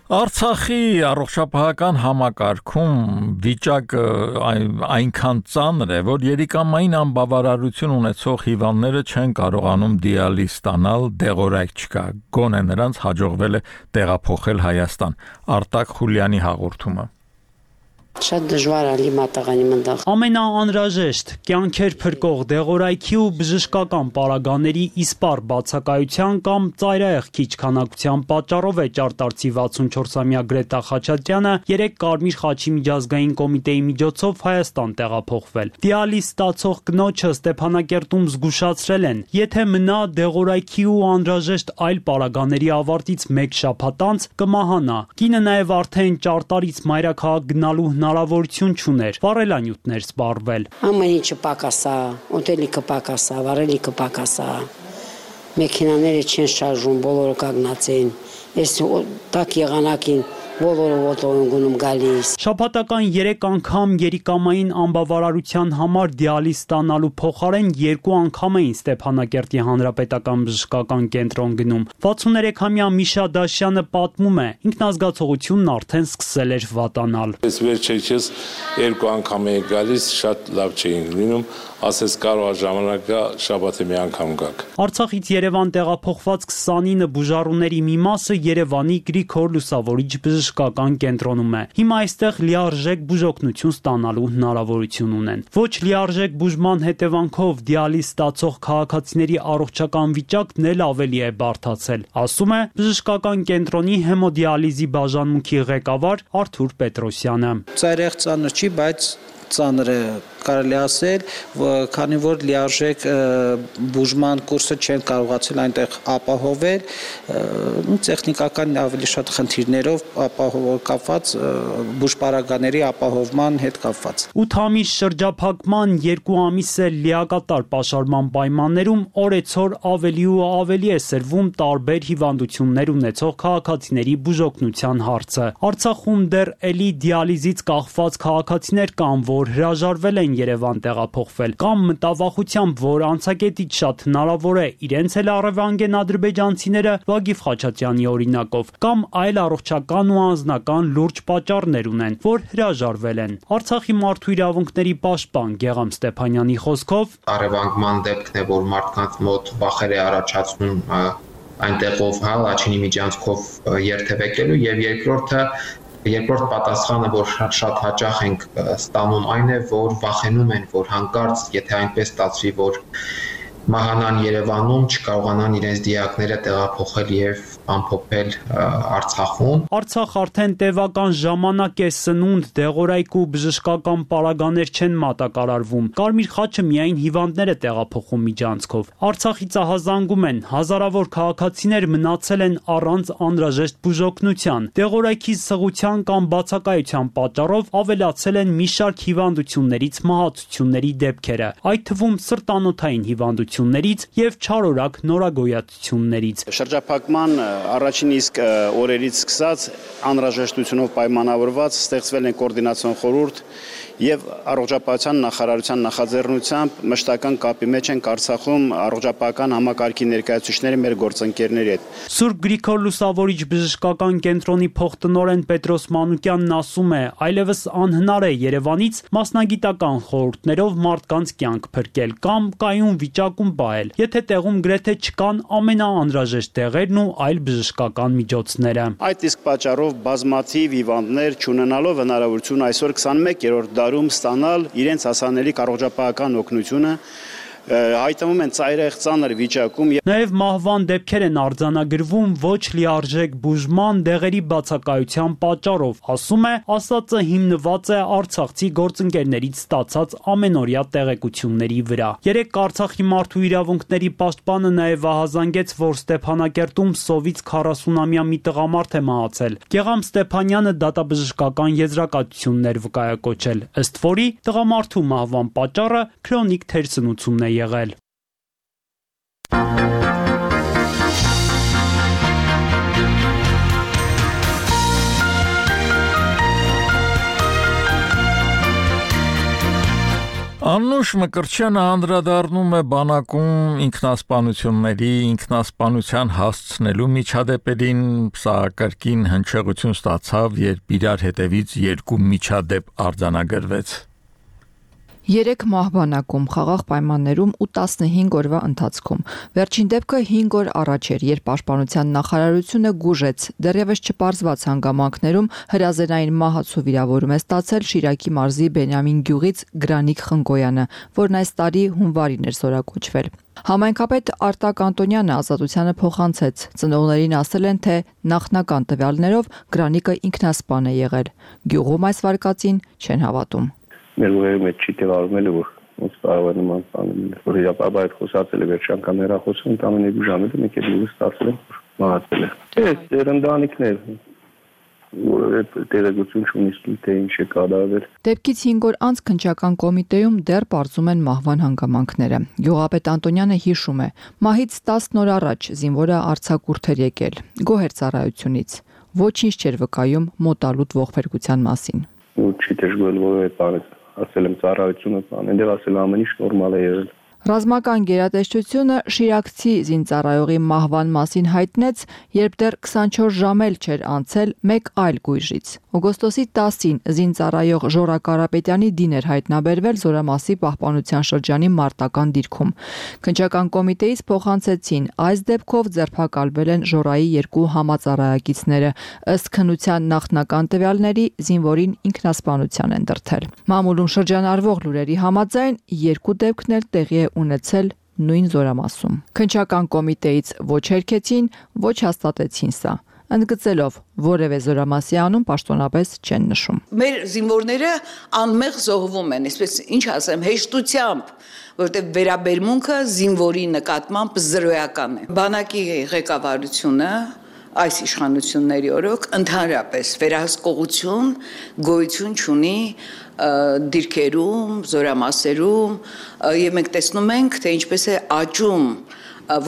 Արցախի առողջապահական համակարգում վիճակը այնքան ծանր է, որ երիկամային անբավարարություն ունեցող հիվանդները չեն կարողանում դիալիզ ստանալ, դեղորայք չկա։ Գոնե նրանց հաջողվել է տեղափոխել Հայաստան։ Արտակ Խուլյանի հաղորդումը։ Շատ դժվար է լիմատաղանի մնդաղ։ Ամենաանհրաժեշտ կյանքեր փրկող դեղորայքի ու բժշկական պարագաների իսպառ բացակայության կամ ծայրահեղ քիչ քանակության պատճառով է ճարտարցի 64-ամյա Գրետա Խաչատրյանը 3 Կարմիր խաչի միջազգային կոմիտեի միջոցով Հայաստան տեղափոխվել։ Դիալիզ ստացող կնոջը Ստեփանակերտում զգուշացրել են, եթե մնա դեղորայքի ու անհրաժեշտ այլ պարագաների ավարտից 1 շաբաթ անց կմահանա։ Կինը նաև արդեն ճարտարից մայրաքաղաք գնալու հնարավորություն չուներ, վառելանյութներ սպառվել։ Ամեն ինչը պակասա, ուտելիքը պակասա, վառելիքը պակասա, մեքենաները չեն շարժում, բոլորը կանգնած են, ես տակ եղանակին բոլորը ոտով գնում գալիս։ Շաբաթական 3 անգամ երիկամային անբավարարության համար դիալիզ ստանալու փոխարեն 2 անգամ էին Ստեփանակերտի հանրապետական բժշկական կենտրոն գնում։ 63-ամյա Միշա Դաշյանը պատմում է, ինքնազգացողությունն արդեն սկսել էր վատանալ։ Ես վերջերս 2 անգամ էի գալիս, շատ լավ չէին լինում, ասես կարող է ժամանակը շաբաթը մի անգամ գաք։ Արցախից Երևան տեղափոխված 29 բուժառուների մի մասը Երևանի Գրիգոր Լուսավորիչ բժշկական կենտրոնում է։ Հիմա այստեղ լիարժեք բուժօգնություն ստանալու հնարավորություն ունեն։ Ոչ լիարժեք բուժման հետևանքով դիալիզ ստացող քաղաքացիների առողջական վիճակն էլ ավելի է բարդացել, ասում է բժշկական կենտրոնի հեմոդիալիզի բաժանմունքի ղեկավար Արթուր Պետրոսյանը։ Ծայրահեղ ծանր չի, բայց ծանր է կարելի ասել, քանի որ լիարժեք բուժման կուրսը չեն կարողացել այնտեղ ապահովել, տեխնիկական ավելի շատ խնդիրներով կապված բուժպարագաների ապահովման հետ կապված։ 8 ամիս շրջափակման 2 ամիս է լիակատար պաշարման պայմաններում օրեցօր ավելի ու ավելի է սրվում տարբեր հիվանդություններ ունեցող քաղաքացիների բուժօգնության հարցը։ Արցախում դեռ էլի դիալիզից կախված քաղաքացիներ կան, որ հրաժարվել են Երևան տեղափոխվել, կամ մտավախությամբ, որ անցակետից շատ հնարավոր է իրենց էլ առևանգեն ադրբեջանցիները Վագիվ Խաչատրյանի օրինակով, կամ այլ առողջական ու անձնական լուրջ պատճառներ ունեն, որ հրաժարվել են։ Արցախի մարդու իրավունքների պաշտպան Գեգամ Ստեփանյանի խոսքով առևանգման դեպքն է, որ մարդկանց մոտ վախեր է առաջացնում այնտեղով Լաչինի միջանցքով երթևեկելու, եւ երկրորդ պատասխանը, որ շատ հաճախ ենք ստանում, այն է, որ վախենում են, որ հանկարծ, եթե այնպես ստացվի, որ մահանան Երևանում, չկարողանան իրենց դիակները տեղափոխել եւ ամփոփել Արցախում։ Արցախ արդեն տևական ժամանակ է սնունդ, դեղորայք ու բժշկական պարագաներ չեն մատակարարվում։ Կարմիր խաչը միայն հիվանդներ է տեղափոխում միջանցքով։ Արցախից ահազանգում են, հազարավոր քաղաքացիներ մնացել են առանց անհրաժեշտ բուժօգնության։ Դեղորայքի սղության կամ բացակայության պատճառով ավելացել են մի շարք հիվանդություններից մահացությունների դեպքերը, այդ թվում սրտանոթային հիվանդություններից եւ չարորակ նորագոյացություններից։ Շրջափակման առաջին իսկ օրերից սկսած անհրաժեշտությունով պայմանավորված ստեղծվել են կոորդինացիոն խորհուրդ եւ առողջապահության նախարարության նախաձեռնությամբ մշտական կապի մեջ են Արցախում առողջապահական համակարգի ներկայացուցիչները մեր գործընկերների հետ։ Սուրբ Գրիգոր Լուսավորիչ բժշկական կենտրոնի փոխտնօրեն Պետրոս Մանուկյանն ասում է, այլևս անհնար է Երևանից մասնագիտական խորհուրդներով մարդկանց կյանք փրկել կամ կայուն վիճակում պահել, եթե տեղում գրեթե չկան ամենաանհրաժեշտ տեղերն ու այլ բժշկական միջոցները։ Այդ իսկ պատճառով բազմաթիվ հիվանդներ չունենալով հնարավորություն այսօր 21-րդ դարում ստանալ իրենց հասանելիք առողջապահական օգնությունը հայտնվում են ծայրահեղ ծանր վիճակում։ Նաև մահվան դեպքեր են արձանագրվում ոչ լիարժեք բուժման դեղերի բացակայության պատճառով, ասում է, ասածը հիմնված է արցախցի գործընկերներից ստացած ամենօրյա տեղեկությունների վրա։ Երեկ Արցախի մարդու իրավունքների պաշտպանը նաև ահազանգեց, որ Ստեփանակերտում սովից 40-ամյա մի տղամարդ է մահացել։ Գեգամ Ստեփանյանը դատաբժշկական եզրակացություններ վկայակոչել, ըստ որի տղամարդու մահվան պատճառը քրոնիկ թերսնությունն է եղել։ Անուշ Մկրտչյանը անդրադառնում է բանակում ինքնասպանության հասցնելու միջադեպերին, սա կրկին հնչեղություն ստացավ, երբ իրար հետևից երկու միջադեպ արձանագրվեց։ 3 մահ բանակում խաղաղ պայմաններում ու 15 օրվա ընթացքում։ Վերջին դեպքը 5 օր առաջ էր, երբ Պաշտպանության նախարարությունը գուժեց դեռևս չպարզված հանգամանքներում հրազենային մահացու վիրավորում է ստացել Շիրակի մարզի Բենյամին գյուղից Գրանիկ Խնկոյանը, որն այս տարի հունվարին էր զորակոչվել։ Համայնքապետ Արտակ Անտոնյանը ազատությանը փոխանցեց։ Ծնողներին ասել են, թե նախնական տվյալներով Գրանիկը ինքնասպան է եղել։ Գյուղում այս վարկածին չեն հավատում։ Մեր ուղեղի մեջ չի տևարում որ ոնց կարող է նման բան որ իրապաբար այդ խոսացել է վերջ անգամ հեռախոսում ամեն 2 ժամը մեկ էլ լույս ստացել որ մահացել է։ Այս երանդանիքներ այդ տեղեկություն չունի թե ինչ է կատարվել։ Դեպքից 5 օր անց քննչական կոմիտեում դեռ բարձում են մահվան հանգամանքները։ Գյուղապետ Անտոնյանը հիշում է. մահից 10 օր առաջ զինվորը արձակուրդ էր եկել գոհեր ծառայությունից։ Ոչինչ չէր վկայում մոտալուտ ողբերգության մասին։ Չի դժգոհել որ այդ բանը ասել եմ ծառայությունը բան, այնտեղ ասել ամեն ինչ նորմալ է եղել։ Ռազմական գերատեսչությունը շիրակցի զինծառայողի մահվան մասին հայտնեց, երբ դեռ 24 ժամ էլ չէր անցել մեկ այլ գույժից։ Օգոստոսի 10-ին զինծառայող Ժորա Կարապետյանի դին էր հայտնաբերվել Զորամասի պահպանության շրջանի մարտական դիրքում։ Քննչական կոմիտեից փոխանցեցին, այս դեպքով ձերբակալվել են Ժորայի 2 համածառայակիցները, ըստ քննության նախնական տվյալների զինվորին ինքնասպանության են դրդել։ Մամուլում շրջանառվող լուրերի համաձայն 2 դեպքն էլ տեղի է ունեցել նույն Զորամասում։ Քննչական կոմիտեից ոչ հերքեցին, ոչ հաստատեցին սա, ընդգծելով որևէ Զորամասի անուն պաշտոնապես չեն նշում։ Մեր զինվորները անմեղ զոհվում են, այսպես ինչ ասեմ, հեշտությամբ, որտեղ վերաբերմունքը զինվորի նկատմամբ զրոյական է։ Բանակի ղեկավարությունը այս իշխանությունների օրոք ընդհանրապես վերահսկողություն գոյություն չունի դիրքերում, զորամասերում եւ մենք տեսնում ենք, թե ինչպես է աճում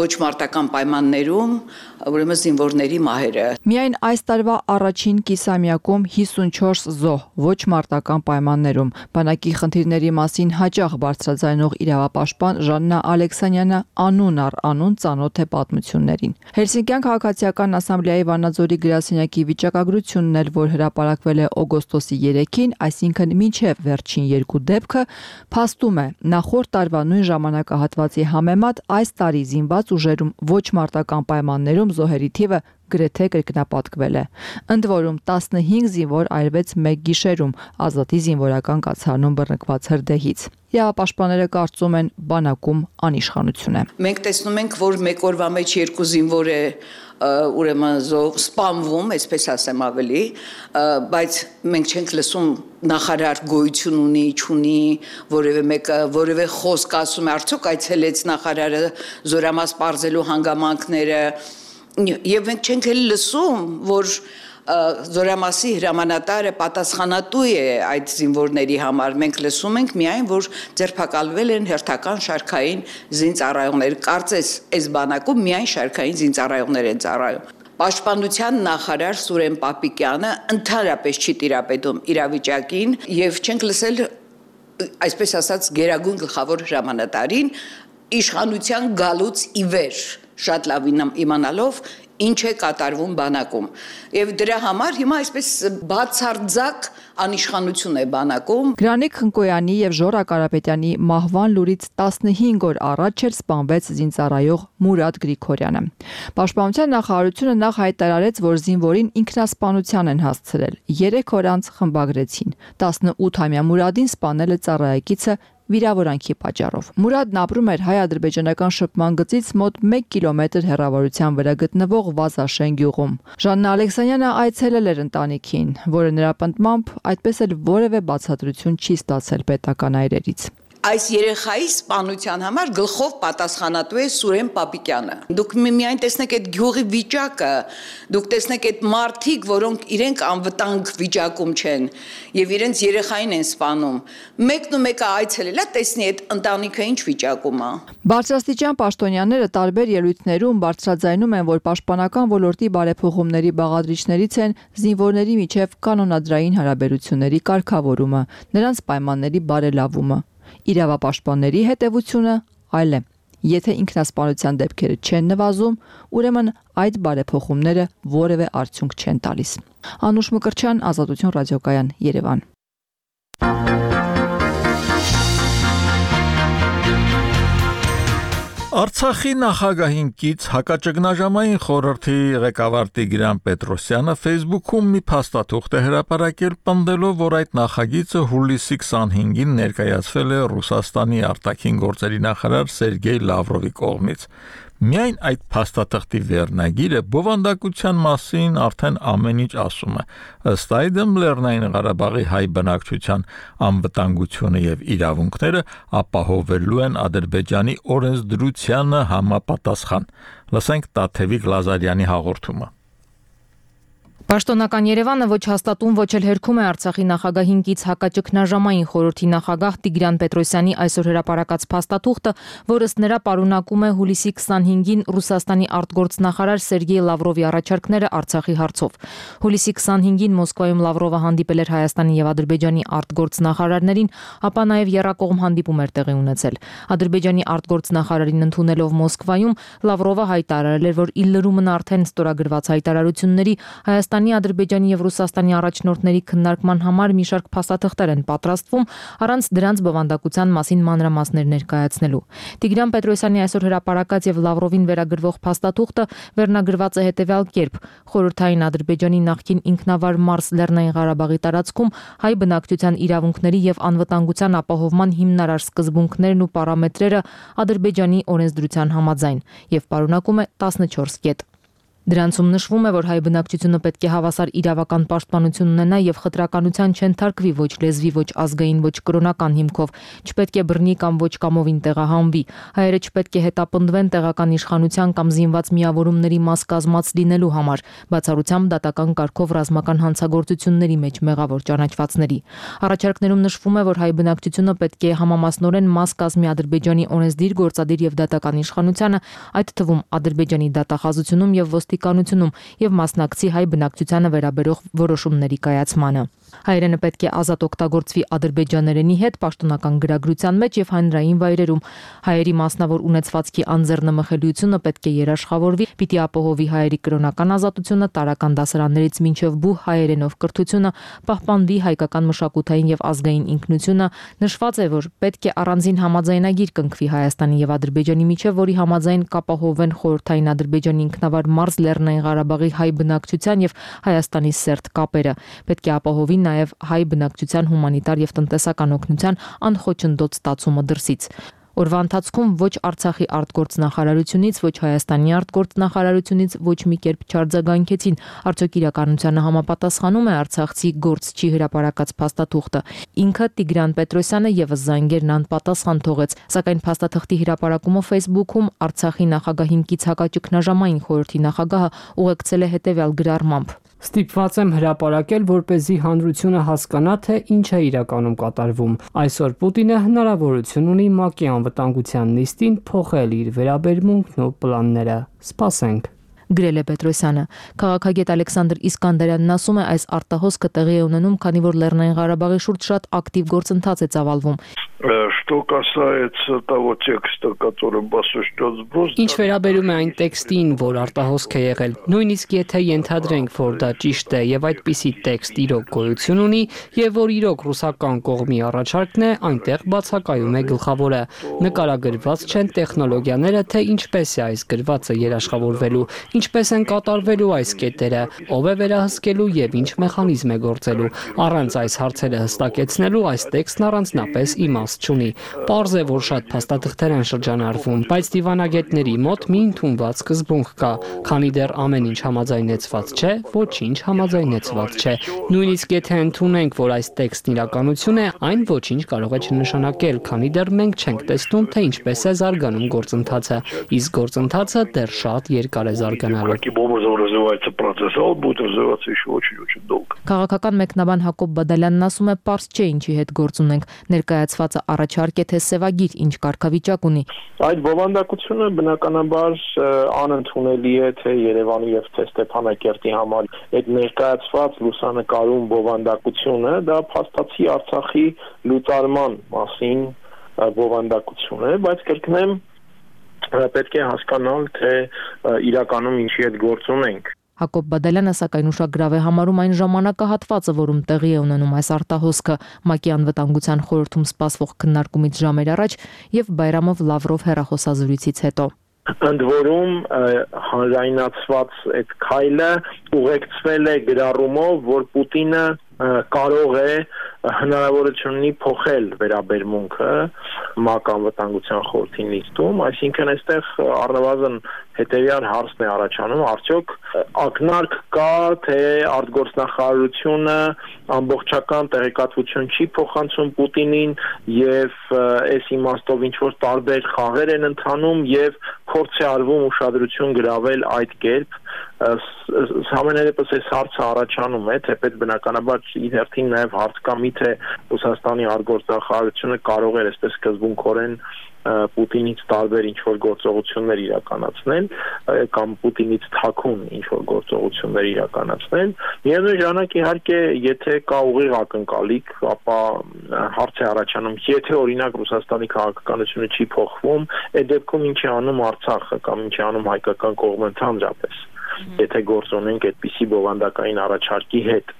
ոչ մարտական պայմաններում ուրեմն զինվորների մահերը։ Միայն այս տարվա առաջին կիսամյակում 54 զոհ ոչ մարտական պայմաններում։ Բանակի խնդիրների մասին հաճախ բարձրաձայնող իրավապաշտպան Ժաննա Ալեքսանյանը անուն առ անուն ծանոթ է պատմություններին։ Հելսինկյան քաղաքացիական ասամբլեայի Վանաձորի գրասենյակի վիճակագրությունն էլ, որ հրապարակվել է օգոստոսի 3-ին, այսինքն մինչև վերջին 2 դեպքը, փաստում է նախորդ տարվա նույն ժամանակահատվածի համեմատ այս տարի զինված ուժերում ոչ մարտական պայմաններում զոհերի թիվը գրեթե կրկնապատկվել է։ Ընդ որում 15 զինվոր այրվեց մեկ գիշերում Ազատի զինվորական կացարանում բռնկված հրդեհից։ Իրավապաշտպանները կարծում են բանակում անիշխանություն է։ Մենք տեսնում ենք, որ մեկ օրվա մեջ 2 զինվոր է ուրեմն սպանվում, այսպես ասեմ ավելի, բայց մենք չենք լսում նախարար գոյություն ունի, չունի, որևէ մեկը, որևէ խոսք ասում է, արդյոք այցելեց նախարարը Զորամաս պարզելու հանգամանքները, եւ մենք չենք էլ լսում, որ Զորամասի հրամանատարը պատասխանատու է այդ զինվորների համար։ Մենք լսում ենք միայն, որ ձերբակալվել են հերթական շարքային զինծառայողներ։ Կարծես այս բանակում միայն շարքային զինծառայողներ են ծառայում։ Պաշտպանության նախարար Սուրեն Պապիկյանը ընդհանրապես չի տիրապետում իրավիճակին եւ չենք լսել, այսպես ասած, գերագույն գլխավոր հրամանատարին իշխանության գալուց ի վեր շատ լավ իմանալով ինչ է կատարվում բանակում եւ դրա համար հիմա այսպես բացարձակ անիշխանություն է բանակում։ Գրանիկ Խնկոյանի եւ Ժորա Կարապետյանի մահվան լուրից 15 օր առաջ էր սպանվեց զինծառայող Մուրադ Գրիգորյանը։ Պաշտպանության նախարարությունը նախ հայտարարեց, որ զինվորին ինքնասպանության են հասցրել։ 3 օր անց խմբագրեցին։ 18-ամյա Մուրադին սպանել է ծառայեկիցը վիրավորանքի պատճառով։ Մուրադն ապրում էր հայ-ադրբեջանական շփման գծից մոտ 1 կիլոմետր հեռավորության վրա գտնվող Վազաշեն գյուղում։ Ժաննա Ալեքսանյանը այցելել էր ընտանիքին, որը նրա պնդմամբ այդպես էլ որևէ բացատրություն չի ստացել պետական այրերից։ Այս երեխայի սպանության համար գլխով պատասխանատու է Սուրեն Պապիկյանը։ Դուք միայն տեսնեք այդ գյուղի վիճակը, դուք տեսնեք այդ մարդիկ, որոնք իրենք անվտանգ վիճակում չեն եւ իրենց երեխային են սպանում։ Մեկն ու մեկը այցելելա, տեսնի այդ ընտանիքը ինչ վիճակում է։ Բարձրաստիճան պաշտոնյաները տարբեր ելույթներում բարձրաձայնում են, որ պաշտպանական ոլորտի բարեփոխումների բաղադրիչներից են զինվորների միջև կանոնադրային հարաբերությունների կարգավորումը, նրանց պայմանների բարելավումը։ Իրավապաշտպանների հետևությունը այլ է։ Եթե ինքնասպանության դեպքերը չեն նվազում, ուրեմն այդ բարեփոխումները որևէ արդյունք չեն տալիս։ Անուշ Մկրտչյան, Ազատություն ռադիոկայան, Երևան։ Արցախի նախագահին կից հակաճգնաժամային խորհրդի ղեկավար Տիգրան Պետրոսյանը Facebook-ում մի փաստաթուղթ է հրապարակել պնդելով, որ այդ նախագիծը հուլիսի 25-ին ներկայացվել է Ռուսաստանի արտաքին գործերի նախարար Սերգեյ Լավրովի կողմից։ Միայն այդ փաստաթղթի վերնագիրը բովանդակության մասին արդեն ամեն ինչ ասում է։ Ըստ այդմ Լեռնային Ղարաբաղի հայ բնակչության անվտանգությունը եւ իրավունքները ապահովելու են Ադրբեջանի օրենսդրությանը համապատասխան։ Լսենք Տաթևիկ Լազարյանի հաղորդումը։ Պաշտոնական Երևանը ոչ հաստատում, ոչ էլ հերքում է Արցախի նախագահին կից հակաճգնաժամային խորհրդի նախագահ Տիգրան Պետրոսյանի այսօր հրապարակած փաստաթուղթը, որը ըստ նրա պարունակում է հուլիսի 25-ին Ռուսաստանի արտգործնախարար Սերգեյ Լավրովի առաջարկները Արցախի հարցով։ Հուլիսի 25-ին Մոսկվայում Լավրովը հանդիպել էր Հայաստանի եւ Ադրբեջանի արտգործնախարարներին, ապա նաեւ եռակողմ հանդիպում էր տեղի ունեցել։ Ադրբեջանի արտգործնախարարին ընդունելով Մոսկվայում Լավրովը հայտարարել էր, որ ի լրումն արդեն ստորագրված հայտարարությունների Հայաստանի, Ադրբեջանի եւ Ռուսաստանի առաջնորդների քննարկման համար մի շարք փաստաթղթեր են պատրաստվում, առանց դրանց բովանդակության մասին մանրամասներ ներկայացնելու։ Տիգրան Պետրոսյանի այսօր հրապարակած եւ Լավրովին վերագրվող փաստաթուղթը վերնագրված է հետեւյալ կերպ. խորհրդային Ադրբեջանի նախկին ինքնավար Մարս Լեռնային Ղարաբաղի տարածքում հայ բնակչության իրավունքների եւ անվտանգության ապահովման հիմնարար սկզբունքներն ու պարամետրերը Ադրբեջանի օրենսդրության համաձայն եւ պարունակում է 14 կետ։ Դրանցում նշվում է, որ հայ բնակչությունը պետք է հավասար իրավական պաշտպանություն ունենա եւ խտրականության չընթարկվի ոչ լեզվի, ոչ ազգային, ոչ կրոնական հիմքով, չպետք է բռնի կամ ոչ կամովին տեղահանվի։ Հայերը չպետք է հետապնդվեն տեղական իշխանության կամ զինված միավորումների մաս կազմած լինելու համար, բացառությամբ դատական կարգով ռազմական հանցագործությունների մեջ մեղավոր ճանաչվածների։ Առաջարկներում նշվում է, որ հայ բնակչությունը պետք է համամասնորեն մաս կազմի Ադրբեջանի օրենսդիր, գործադիր եւ դատական իշխանությանը, այդ թվում Ադրբեջանի դատախազությունում եւ ոստիկանությունում եւ մասնակցի հայ բնակչությանը վերաբերող որոշումների կայացմանը։ Հայերենը պետք է ազատ օգտագործվի ադրբեջաներենի հետ պաշտոնական գրագրության մեջ եւ հանրային վայրերում։ Հայերի մասնավոր ունեցվածքի անձեռնմխելիությունը պետք է երաշխավորվի, պիտի ապահովի հայերի կրոնական ազատությունը, տարրական դասարաններից մինչև բու հայերենով կրթությունը, պահպանվի հայկական մշակութային եւ ազգային ինքնությունը։ Նշված է, որ պետք է առանձին համաձայնագիր կնքվի Հայաստանի եւ Ադրբեջանի միջև, որի համաձայն կապահովեն խորհրդային Ադրբեջանի ինքնավար Մարս Լեռնային Ղարաբաղի հայ բնակչության եւ Հայաստանի սերտ կապերը։ Պետք է ապահովի նաև հայ բնակչության հումանիտար եւ տնտեսական օգնության անխոչնդոտ ստացումը դրսից։ Օրվա ընթացքում ոչ Արցախի արտգործնախարարությունից, ոչ Հայաստանի արտգործնախարարությունից ոչ մի կերպ չարձագանքեցին, արդյոք իրականությանը համապատասխանում է արցախցի գործչի հրապարակած փաստաթուղթը։ Ինքը Տիգրան Պետրոսյանը եւս զանգերն անպատասխան թողեց, սակայն փաստաթղթի հրապարակումը Facebook-ում Արցախի նախագահին կից հակաճգնաժամային խորհրդի նախագահը ուղեկցել է հետեւյալ գրառմամբ. Ստիպված եմ հրապարակել, որպեսզի հանրությունը հասկանա, թե ինչ է իրականում կատարվում։ Այսօր Պուտինը հնարավորություն ունի ՄԱԿ-ի անվտանգության նիստին փոխել իր վերաբերմունքն ու պլանները։ Սպասենք։ գրել է Պետրոսյանը։ Քաղաքագետ Ալեքսանդր Իսկանդարյանն ասում է, այս արտահոսքը տեղի է ունենում, քանի որ Լեռնային Ղարաբաղի շուրջ շատ ակտիվ գործընթաց է ծավալվում։ Что касается того текста, которым осуществлен сброс, Ինչ վերաբերում է այն տեքստին, որ արտահոսք է եղել, նույնիսկ եթե ենթադրենք, որ դա ճիշտ է եւ այդպիսի տեքստ իրոք գոյություն ունի եւ որ իրոք ռուսական կողմի առաջարկն է, այնտեղ բացակայում է գլխավորը։ Նկարագրված չեն տեխնոլոգիաները, թե ինչպես է այս գրվածը երաշխավորվելու, ինչպես են կատարվելու այս կետերը, ով է վերահսկելու եւ ինչ մեխանիզմ է գործելու։ Առանց այս հարցերը հստակեցնելու այս տեքստն առանձնապես իմաստ չունի։ Պարզ է, որ շատ փաստաթղթեր են շրջանառվում, բայց դիվանագետների մոտ մի ընդունված սկզբունք կա, քանի դեռ ամեն ինչ համաձայնեցված չէ, ոչինչ համաձայնեցված չէ։ Նույնիսկ եթե ընդունենք, որ այս տեքստն իրականություն է, այն ոչինչ կարող է չնշանակել, քանի դեռ մենք չենք տեսնում, թե ինչպես է զարգանում գործընթացը, իսկ գործընթացը դեռ շատ երկար է զարգանալու։ Քաղաքական մեկնաբան Հակոբ Բադալյանն ասում է, պարզ չէ ինչի հետ գործ ունենք, ներկայացվածը առաջարկ է թե սևագիր, ինչ կարգավիճակ ունի։ Այդ բովանդակությունը բնականաբար անընդունելի է թե Երևանի եւ թե Ստեփանակերտի համար։ Այդ ներկայացված լուսանկարում բովանդակությունը դա փաստացի Արցախի լուծարման մասին բովանդակություն է, բայց կրկնեմ, պետք է հասկանալ, թե իրականում ինչի հետ գործ ունենք։ Հակոբ Բադալյանը սակայն ուշագրավ է համարում այն ժամանակահատվածը, որում տեղի է ունենում այս արտահոսքը ՄԱԿ-ի անվտանգության խորհրդում սպասվող քննարկումից ժամեր առաջ եւ Բայրամով Լավրով հեռախոսազրույցից հետո։ Ընդ որում հանրայնացված այդ քայլը ուղեկցվել է գրառումով, որ Պուտինը կարող է հնարավորություն ունի փոխել վերաբերմունքը ՄԱԿ անվտանգության խորհրդի նիստում, այսինքն այստեղ առնվազն հետեւյալ հարցն է առաջանում, արդյոք ակնարկ կա, թե արտգործնախարարությունը ամբողջական տեղեկատվություն չի փոխանցում Պուտինին եւ այս իմաստով ինչ որ տարբեր խաղեր են ընթանում եւ փորձ է արվում ուշադրություն գրավել այդ կերպ ամենայնպես այս հարցը առաջանում է, թեպետ բնականաբար իր հերթին նաև հարց կա, միթե Ռուսաստանի արտգործնախարարությունը կարող էր այսպես սկզբունքորեն Պուտինից տարբեր ինչ-որ գործողություններ իրականացնել կամ Պուտինից թաքուն ինչ-որ գործողություններ իրականացնել։ Միևնույն ժամանակ իհարկե, եթե կա ուղիղ ակնկալիք, ապա հարց է առաջանում, եթե օրինակ Ռուսաստանի քաղաքականությունը չի փոխվում, այդ դեպքում ինչ է անում Արցախը կամ ինչ է անում հայկական կողմը ընդհանրապես, եթե գործ ունենք այդպիսի բովանդակային առաջարկի հետ։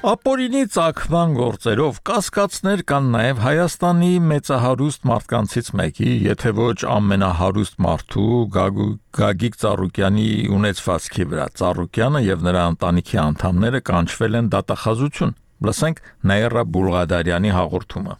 Ապօրինի ծագման գործերով կասկածներ կան նաև Հայաստանի մեծահարուստ մարդկանցից մեկի, եթե ոչ ամենահարուստ մարդու Գագիկ Ծառուկյանի ունեցվածքի վրա։ Ծառուկյանը եւ նրա ընտանիքի անդամները կանչվել են դատախազություն։ Լսենք Նաիրա Բուլղադարյանի հաղորդումը։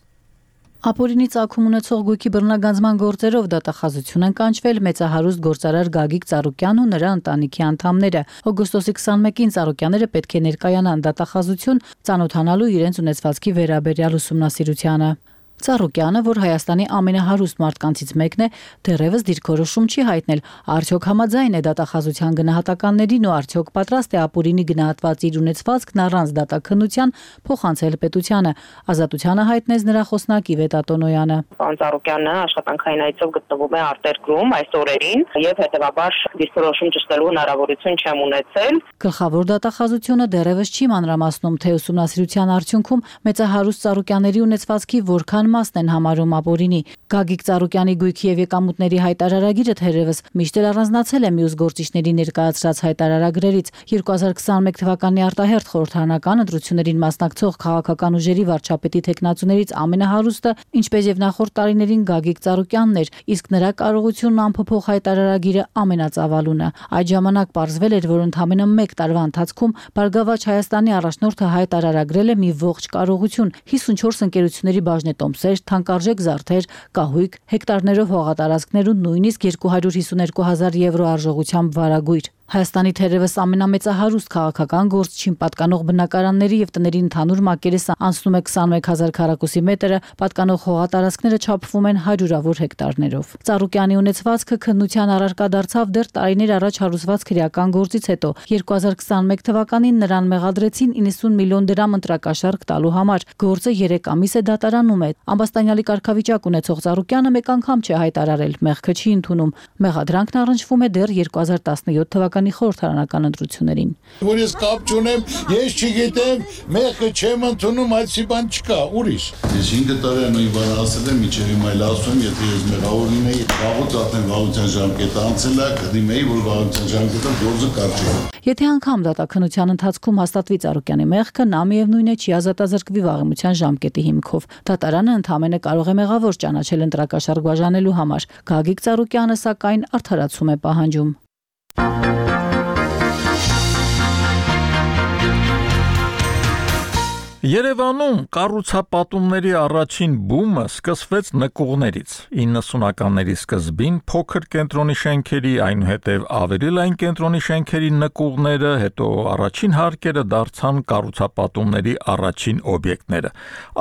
Ապօրինի ծագում ունեցող գույքի բռնագանձման գործերով դատախազություն են կանչվել մեծահարուստ գործարար Գագիկ Ծառուկյանն ու նրա ընտանիքի անդամները։ Օգոստոսի 21-ին Ծառուկյանները պետք է ներկայանան դատախազություն, ծանոթանալու իրենց ունեցվածքի վերաբերյալ ուսումնասիրությանը։ Ծառուկյանը, որ Հայաստանի ամենահարուստ մարդկանցից մեկն է, դեռևս դիրքորոշում չի հայտնել, արդյոք համաձայն է դատախազության գնահատականներին ու արդյոք պատրաստ է ապօրինի գնահատված իր ունեցվածքն առանց դատաքննության փոխանցել պետությանը։ Ազատությանը հայտնեց նրա խոսնակի Վետա Տոնոյանը։ Պարոն Ծառուկյանը աշխատանքային այցով գտնվում է արտերկրում այս օրերին եւ հետեւաբար դիրքորոշում ճշտելու հնարավորություն չեմ ունեցել։ Գլխավոր դատախազությունը դեռևս չի մանրամասնում, թե ուսումնասիրության արդյունքում մեծահարուստ Ծառուկյանների ունեցվածքի որքան մասն են համարում ապօրինի։ Գագիկ Ծառուկյանի գույքի եւ եկամուտների հայտարարագիրը թերևս միշտ էլ առանձնացել է մյուս գործիչների ներկայացրած հայտարարագրերից։ 2021 թվականի արտահերթ խորհրդարանական ընտրություններին մասնակցող քաղաքական ուժերի վարչապետի թեկնածուներից ամենահարուստը, ինչպես եւ նախորդ տարիներին Գագիկ Ծառուկյանն էր, իսկ նրա կարողությունն անփոփոխ հայտարարագիրը ամենածավալունը։ Այդ ժամանակ պարզվել էր, որ ընդամենը 1 տարվա ընթացքում Բարգավաճ Հայաստանի առաջնորդը հայտարարագրել է մի ողջ կարողություն 54 ընկերությունների բաժնետոմսեր, թանկարժեք զարդեր, կահույք, հեկտարներով հողատարածքներ ու նույնիսկ 252,000 եվրո արժողությամբ վարագույր։ Հայաստանի թերևս ամենամեծահարուստ քաղաքական գործչին պատկանող բնակարանների եւ տների ընդհանուր մակերեսը անցնում է 21000 քառակուսի մետրը, պատկանող հողատարածքները չափվում են հարյուրավոր հեկտարներով։ Ծառուկյանի ունեցվածքը քննության առարկա դարձավ դեռ տարիներ առաջ հարուսված քրեական գործից հետո։ 2021 թվականին նրան մեղադրեցին 90 միլիոն դրամ ընտրակաշառք տալու համար։ Գործը 3 ամիս է դատարանում է։ Ամբաստանյալի կարգավիճակ ունեցող Ծառուկյանը մեկ անգամ չի հայտարարել, մեղքը չի ընդունում։ Մեղադրանքն առնչվում է դեռ 2017 թվականի խորհրդարանական ընտրություններին։ Որ ես կապ չունեմ, ես չգիտեմ, մեղքը չեմ ընդունում, այդպիսի բան չկա, ուրիշ։ Ես 5 տարի նույն բանը ասել եմ, միջև հիմա էլ ասում, եթե ես մեղավոր լինեի, վաղուց արդեն վաղության ժամկետը անցել է, կդիմեի, որ վաղության ժամկետը գործը կարճի։ Եթե անգամ դատաքննության ընթացքում հաստատվի Ծառուկյանի մեղքը, նա միևնույն է չի ազատազրկվի վաղեմության ժամկետի հիմքով։ Դատարանը ընդհանրապես կարող է մեղավոր ճանաչել ընտրակաշառք բաժանելու համար։ Գագիկ Ծառուկյանը սակայն արդարացում է պահանջում։ Երևանում կառուցապատումների առաջին բումը սկսվեց նկուղներից։ 90-ականների սկզբին փոքր կենտրոնի շենքերի, այնուհետև ավելի լայն կենտրոնի շենքերի նկուղները, հետո առաջին հարկերը դարձան կառուցապատումների առաջին օբյեկտները։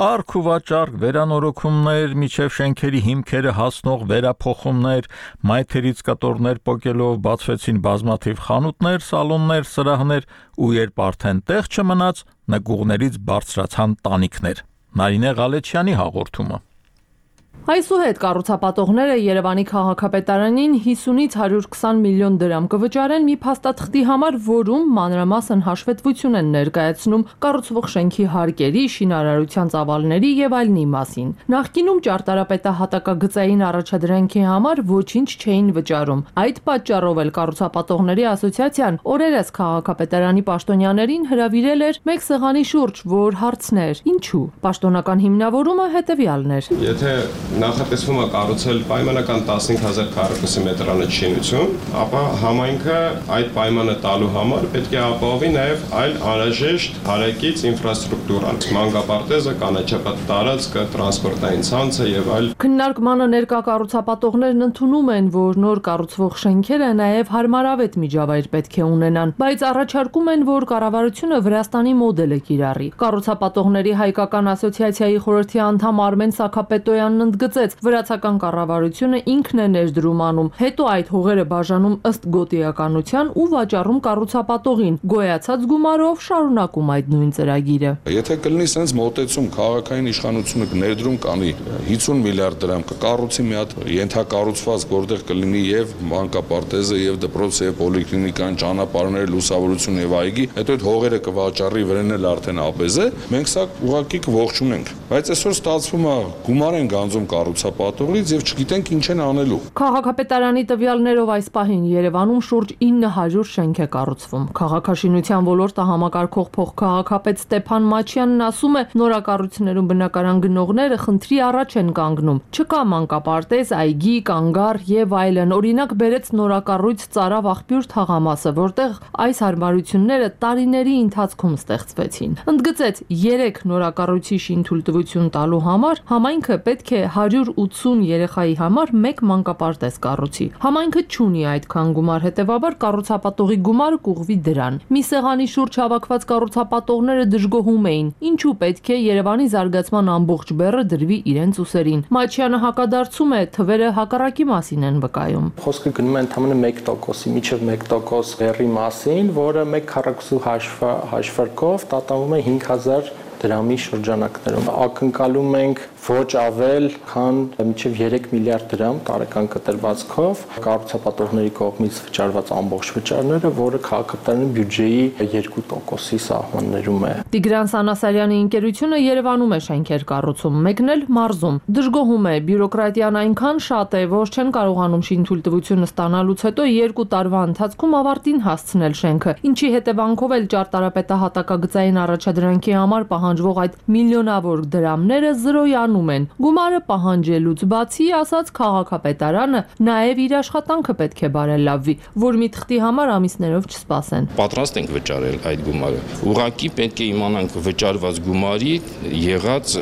Արք ու վաճառք, վերանորոգումներ, միջև շենքերի հիմքերը հասնող վերափոխումներ, մայթերից կտորներ պոկելով բացվեցին բազմաթիվ խանութներ, սալոններ, սրահներ, ու երբ արդեն տեղ չմնաց, նկուղներից բարձրացան տանիքներ։ Նարինե Ղալեչյանի հաղորդումը։ Այսուհետ կառուցապատողները Երևանի քաղաքապետարանին 50-ից 120 միլիոն դրամ կվճարեն մի փաստաթղթի համար, որում մանրամասն հաշվետվություն են ներկայացնում կառուցվող շենքի հարկերի, շինարարության ծավալների եւ այլնի մասին։ Նախկինում ճարտարապետահատակագծային առաջադրանքի համար ոչինչ չէին վճարում։ Այդ պատճառով էլ կառուցապատողների ասոցիացիան օրերս քաղաքապետարանի պաշտոնյաներին հրավիրել էր մեկ սեղանի շուրջ, որ հարցներ. ինչու։ Պաշտոնական հիմնավորումը հետեւյալն էր։ Եթե նախատեսվում է կառուցել պայմանական 15000 քառակուսի մետրանոց շինություն, ապա համայնքը այդ պայմանը տալու համար պետք է ապահովի նաև այլ անհրաժեշտ հարակից ինֆրաստրուկտուրան, մանկապարտեզը, կանաչապատ տարածքը, տրանսպորտային ցանցը եւ այլ։ Քննարկմանը ներկա կառուցապատողներն ընդունում են, որ նոր կառուցվող շենքերը նաև հարմարավետ միջավայր պետք է ունենան, բայց առաջարկում են, որ կառավարությունը Վրաստանի մոդելը կիրառի։ Կառուցապատողների հայկական ասոցիացիայի խորհրդի անդամ Արմեն Սաքապետոյանն ընդգծեց, վրացական կառավարությունը ինքն է ներդրում անում, հետո այդ հողերը բաժանում ըստ գոտիականության ու վաճառում կառուցապատողին, գոյացած գումարով շարունակում այդ նույն ծրագիրը։ Եթե կլինի sense մոտեցում քաղաքային իշխանությունը կներդրում կանի 50 միլիարդ դրամ կկառուցի մի հատ ենթակառուցվածք, որտեղ կլինի եւ մանկապարտեզը եւ դպրոցը եւ պոլիկլինիկան, ճանապարհները, լուսավորություն եւ այգի, հետո այդ հողերը կվաճառի վրան էլ արդեն ապես է, մենք սա ուղղակի կողջունենք, բայց այսօր ստացվում է գումար են գանձում կառուցապատողից եւ չգիտենք ինչ են անելու։ Քաղաքապետարանի տվյալներով այս պահին Երևանում շուրջ 900 շենք է կառուցվում։ Քաղաքաշինության ոլորտը համակարգող փոխքաղաքապետ Ստեփան Մաչյանն ասում է, նորակառույցներում բնակարան գնողները խնդրի առաջ են կանգնում։ Չկա մանկապարտեզ, այգի, կանգառ եւ այլն։ Օրինակ բերեց նորակառույց Ծարավ աղբյուր թաղամասը, որտեղ այս հարմարությունները տարիների ընթացքում ստեղծվեցին։ Ընդգծեց, 3 նորակառույցի շինթույլտվություն տալու համար համայնքը պետք է 180 երեխայի համար 1 մանկապարտեզ կառուցի։ Համայնքը չունի այդքան գումար, հետևաբար կառուցապատողի գումարը կուղղվի դրան։ Մի սեղանի շուրջ հավաքված կառուցապատողները դժգոհում էին, ինչու պետք է Երևանի զարգացման ամբողջ բեռը դրվի իրենց ուսերին։ Մաչյանը հակադարձում է, թվերը հակառակի մասին են վկայում։ Խոսքը գնում է ընդհանրապես 1%-ի, միջև 1% բեռի մասին, որը 1 քառակուսու հաշվարկով տատանվում է 5000 դրամի շրջանակներում։ Ակնկալում ենք ոչ ավել, քան մինչև 3 միլիարդ դրամ տարեկան կտրվածքով կառուցապատողների կողմից վճարված ամբողջ վճարները, որը քաղաքապետարանի բյուջեի 2%-ի սահմաններում է։ Տիգրան Սանասարյանի ընկերությունը Երևանում է շենքեր կառուցում, մեկն էլ մարզում։ Դժգոհում է, բյուրոկրատիան այնքան շատ է, որ չեն կարողանում շինթույլտվությունը ստանալուց հետո 2 տարվա ընթացքում ավարտին հասցնել շենքը, ինչի հետևանքով էլ ճարտարապետահատակագծային առաջադրանքի համար պահանջվող այդ միլիոնավոր դրամները զրոյանում են։ Գումարը պահանջելուց բացի, ասաց քաղաքապետարանը, նաև իր աշխատանքը պետք է բարելավվի, որ մի թղթի համար ամիսներով չսպասեն։ Պատրաստ ենք վճարել այդ գումարը։ Ուղղակի պետք է իմանանք վճարված գումարի եղած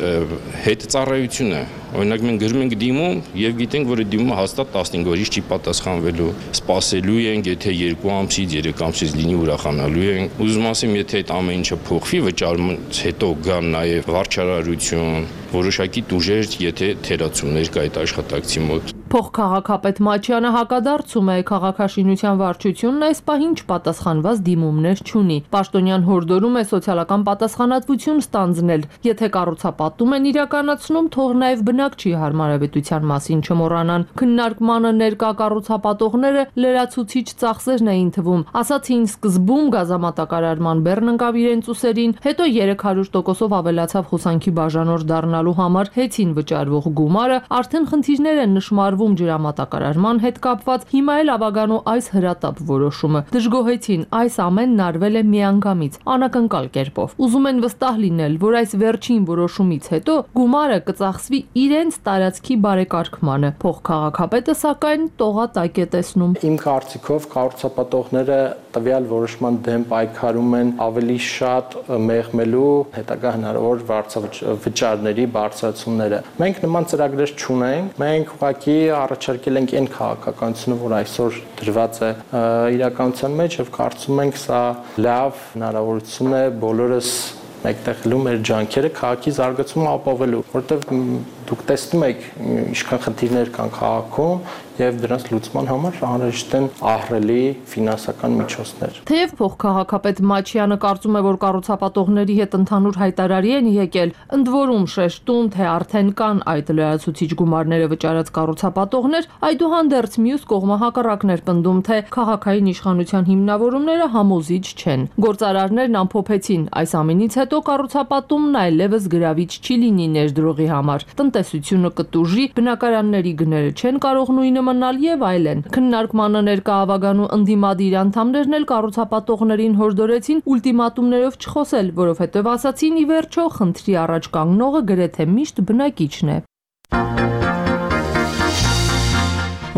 հետծառայությունը Օրինակ մենք գրում ենք դիմում եւ գիտենք, որ դիմումը հաստատ 15 օրից չի պատասխանվելու։ Սպասելու ենք, եթե 2 ամսից, 3 ամսից լինի ուրախանալու ենք։ Ուզում ասեմ, եթե այդ ամեն ինչը փոխվի, վճարումից հետո գան նաեւ վարչարարություն, որոշակի տուժեր, եթե թերացումներ կա այդ աշխատակցի մոտ։ Փոխքաղաքապետ Մաչյանը հակադարձում է քաղաքաշինության վարչությունն այս պահին չպատասխանված դիմումներ չունի։ Պաշտոնյան հորդորում է սոցիալական պատասխանատվություն ստանձնել։ Եթե կառուցապատում են իրականացնում, թող նաև բնակչի հարմարավետության մասին չմոռանան։ Քննարկմանը ներկա կառուցապատողները լրացուցիչ ծախսերն էին թվում։ Ասացին սկզբում գազամատակարարման բեռն ընկավ իրենց ուսերին, հետո 300%-ով ավելացավ հոսանքի բաժանորդ դառնալու համար հեծին վճարվող գումարը, արդեն խնդիրներ են նշմարվում ջրամատակարարման հետ կապված, հիմա էլ ավագանու այս հրատապ որոշումը։ Դժգոհեցին, այս ամենն արվել է միանգամից, անակնկալ կերպով։ Ուզում են վստահ լինել, որ այս վերջին որոշումից հետո գումարը կծախսվի իրենց տարածքի բարեկարգմանը։ Փոխքաղաքապետը սակայն տողատակ է տեսնում։ Իմ կարծիքով կառուցապատողները տվյալ որոշման դեմ պայքարում են ավելի շատ մեղմելու հետագա հնարավոր վճարների բարձրացումները։ Մենք նման ծրագրեր չունենք, մենք ուղղակի առաջարկել ենք այն քաղաքականությունը, որ այսօր դրված է իրականության մեջ եւ կարծում ենք սա լավ հնարավորություն է բոլորս մեկտեղելու մեր ջանքերը քաղաքի զարգացումը ապավելու, որովհետեւ դուք տեսնում եք ինչքան խնդիրներ կան քաղաքում եւ դրանց լուծման համար անհրաժեշտ են ահռելի ֆինանսական միջոցներ։ Թեև փոխքաղաքապետ Մաչյանը կարծում է, որ կառուցապատողների հետ ընդհանուր հայտարարի են եկել, ընդ որում շեշտում, թե արդեն կան այդ լրացուցիչ գումարները վճարած կառուցապատողներ, այդուհանդերձ մյուս կողմը հակառակն էր պնդում, թե քաղաքային իշխանության հիմնավորումները համոզիչ չեն։ Գործարարներն ամփոփեցին, այս ամենից հետո կառուցապատումն այլևս գրավիչ չի լինի ներդրողի համար։ Տնտեսությունը կտուժի, բնակարանների գները չեն կարող նույնը մնալ եւ այլն։ Քննարկմանը ներկա ավագանու ընդդիմադիր անդամներն էլ կառուցապատողներին հորդորեցին ուլտիմատումներով չխոսել, որովհետեւ ասացին՝ ի վերջո խնդրի առաջ կանգնողը գրեթե միշտ բնակիչն է։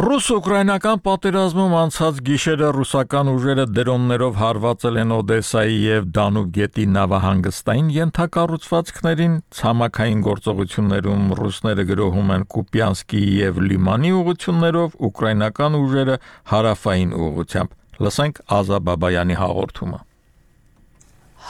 Ռուս-ուկրաինական պատերազմում անցած գիշերը ռուսական ուժերը դրոններով հարվածել են Օդեսայի եւ Դանուբ գետի նավահանգստային ենթակառուցվածքներին, ցամաքային գործողություններում ռուսները գրոհում են Կուպյանսկի եւ Լիմանի ուղություններով, ուկրաինական ուժերը հարավային ուղությամբ։ Լսենք Ազա Բաբայանի հաղորդումը։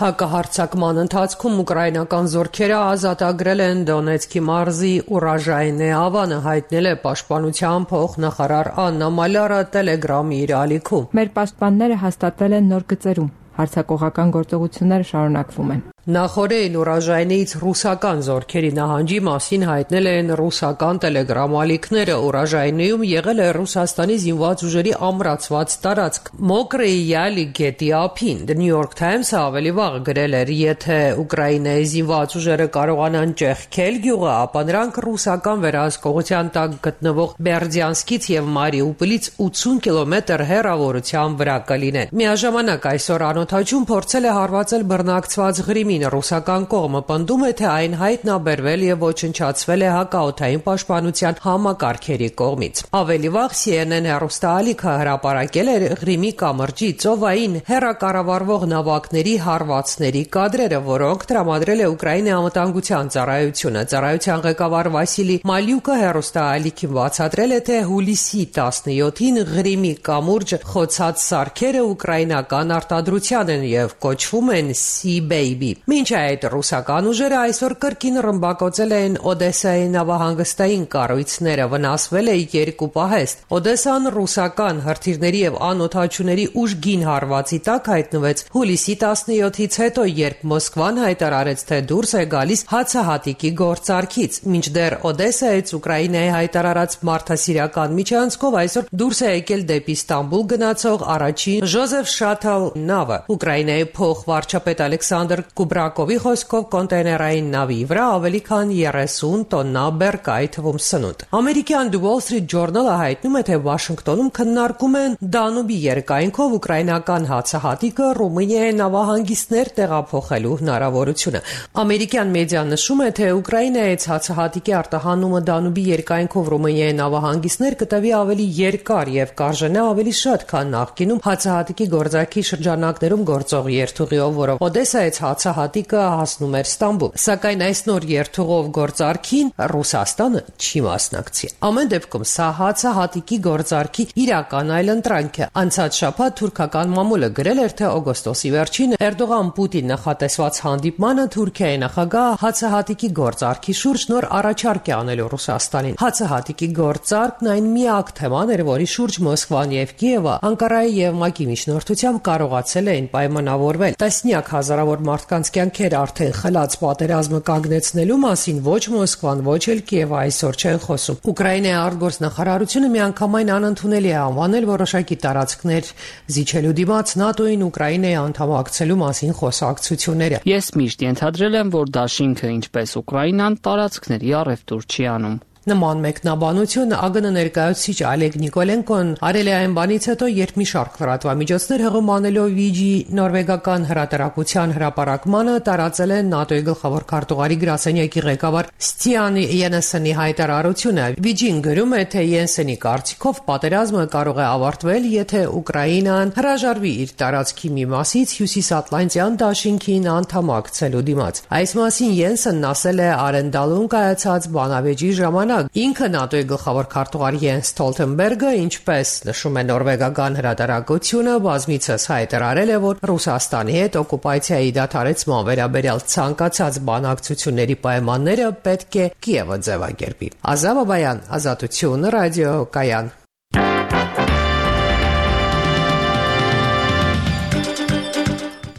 Հակահարձակման ընթացքում ուկրաինական զորքերը ազատագրել են Դոնեցկի մարզի Ուրաժայնե ավանը, հայտնել է պաշտպանության փոխնախարար Աննա Մալյարը Տելեգրամի իր ալիքում։ Մեր պաշտպանները հաստատվել են նոր գծերում։ Հարձակողական գործողությունները շարունակվում են։ Նախորդին Ուրաժայնից ռուսական զորքերի նահանջի մասին հայտնել են ռուսական տելեգրամ ալիքները։ Ուրաժայնիում եղել է Ռուսաստանի զինված ուժերի ամրացված տարածք Մոկրեի Յալի գետի ափին։ The New York Times-ը ավելի վաղ գրել էր, եթե Ուկրաինայի զինված ուժերը կարողանան ճեղքել գյուղը, ապա նրանք ռուսական վերահսկողության տակ գտնվող Բերդյանսկից եւ Մարիուպոլից 80 կիլոմետր հեռավորության վրա կլինեն։ Միաժամանակ այսօր անօթաչուն փորձել է հարվածել բռնակցված Ղրիմին։ Ռուսական կողմը պնդում է, թե այն հայտնաբերվել եւ ոչնչացվել է հակաօդային պաշտպանության համակարգերի կողմից։ Ավելի վաղ CNN հեռուստաալիքը հրապարակել էր Ղրիմի կամրջի ծովային հեռակառավարվող նավակների հարվածների կադրերը, որոնք տրամադրել է Ուկրաինայի անվտանգության ծառայությունը։ Ծառայության ղեկավար Վասիլի Մալյուկը հեռուստաալիքին բացատրել է, թե հուլիսի 17-ին Ղրիմի կամուրջը խոցած սարքերը ուկրաինական արտադրության են եւ կոչվում են Sea Baby։ Մինչ այդ ռուսական ուժերը այսօր կրկին ռմբակոծել են Օդեսայի նավահանգստային կառույցները, վնասվել է 2 պահեստ։ Օդեսան ռուսական հրթիռների եւ անօթաչուների ուժգին հարվածի տակ հայտնվեց հուլիսի 17-ից հետո, երբ Մոսկվան հայտարարեց, թե դուրս է գալիս հացահատիկի գործարքից։ Մինչդեռ Օդեսայից Ուկրաինայի հայտարարած մարդասիրական միջանցքով այսօր դուրս է եկել դեպի Ստամբուլ գնացող առաջին Ժոզեֆ Շաթլ նավը։ Ուկրաինայի փոխվարչապետ Ալեքսանդր Կուբրակովի խոսքով կոնտեյներային նավի վրա ավելի քան 30 տոննա բեռ կա, այդ թվում սնունդ։ Ամերիկյան The Wall Street Journal-ը հայտնում է, թե Վաշինգտոնում քննարկում են Դանուբի երկայնքով ուկրաինական հացահատիկը Ռումինիայի նավահանգիստներ տեղափոխելու հնարավորությունը։ Ամերիկյան մեդիան նշում է, թե Ուկրաինայից հացահատիկի արտահանումը Դանուբի երկայնքով Ռումինիայի նավահանգիստներ կտևի ավելի երկար եւ կարժենա ավելի շատ, քան նախկինում հացահատիկի գործարքի շրջանակներում գործող երթուղիով, որով Օդեսայից հացահատիկ հացահատիկը հասնում էր Ստամբուլ։ Սակայն այս նոր երթուղով գործարքին Ռուսաստանը չի մասնակցի։ Ամեն դեպքում սա հացահատիկի գործարքի իրական այլընտրանք է։ Անցած շաբաթ թուրքական մամուլը գրել էր, թե օգոստոսի վերջին Էրդողան-Պուտին նախատեսված հանդիպմանը Թուրքիայի նախագահ հացահատիկի գործարքի շուրջ նոր առաջարկ է անելու Ռուսաստանին։ Հացահատիկի գործարքն այն միակ թեման էր, որի շուրջ Մոսկվան եւ Կիևը Անկարայի եւ ՄԱԿ-ի միջնորդությամբ կարողացել էին պայմանավորվել։ Տասնյակ հազարավոր մարդկանց կյանքեր արդեն խլած պատերազմը կանգնեցնելու մասին ոչ Մոսկվան, ոչ էլ Կիևը այսօր չեն խոսում։ Ուկրաինայի արտգործնախարարությունը միանգամայն անընդունելի է անվանել որոշակի տարածքներ զիջելու դիմաց ՆԱՏՕ-ին Ուկրաինայի անդամակցելու մասին խոսակցությունները։ Ես միշտ ենթադրել եմ, որ դաշինքը, ինչպես Ուկրաինան, տարածքների առևտուր չի անում։ Նման մեկնաբանություն ԱԳՆ ներկայացուցիչ Ալեգ Նիկոլենկոն արել է այն բանից հետո, երբ մի շարք լրատվամիջոցներ հղում անելով Վիջի նորվեգական հրատարակության հրապարակմանը տարածել են ՆԱՏՕ-ի գլխավոր քարտուղարի գրասենյակի ղեկավար Ստիան Յենսենի հայտարարությունը։ Վիջին գրում է, թե Յենսենի կարծիքով պատերազմը կարող է ավարտվել, եթե Ուկրաինան հրաժարվի իր տարածքի մի մասից Հյուսիսատլանտյան դաշինքին անդամակցելու դիմաց։ Այս մասին Յենսենն ասել է Արենդալում կայացած բանավեճի ժամանակ։ Ինքը ՆԱՏՕ-ի գլխավոր քարտուղար Յենս Ստոլտենբերգը, ինչպես նշում է նորվեգական հրատարակությունը, բազմիցս հայտարարել է, որ Ռուսաստանի հետ օկուպացիայի դադարեցման վերաբերյալ ցանկացած բանակցությունների պայմանները պետք է Կիևը ձևակերպի։ Ազատ Բաբայան, Ազատություն, ռադիո Կայան։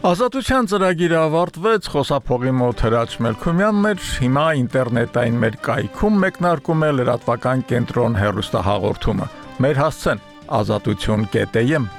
Ազատության ծրագիրը ավարտվեց, խոսափողի մոտ Հրաչ Մելքումյանն էր, հիմա ինտերնետային մեր կայքում մեկնարկում է լրատվական կենտրոն հեռուստահաղորդումը։ Մեր հասցեն ազատություն.am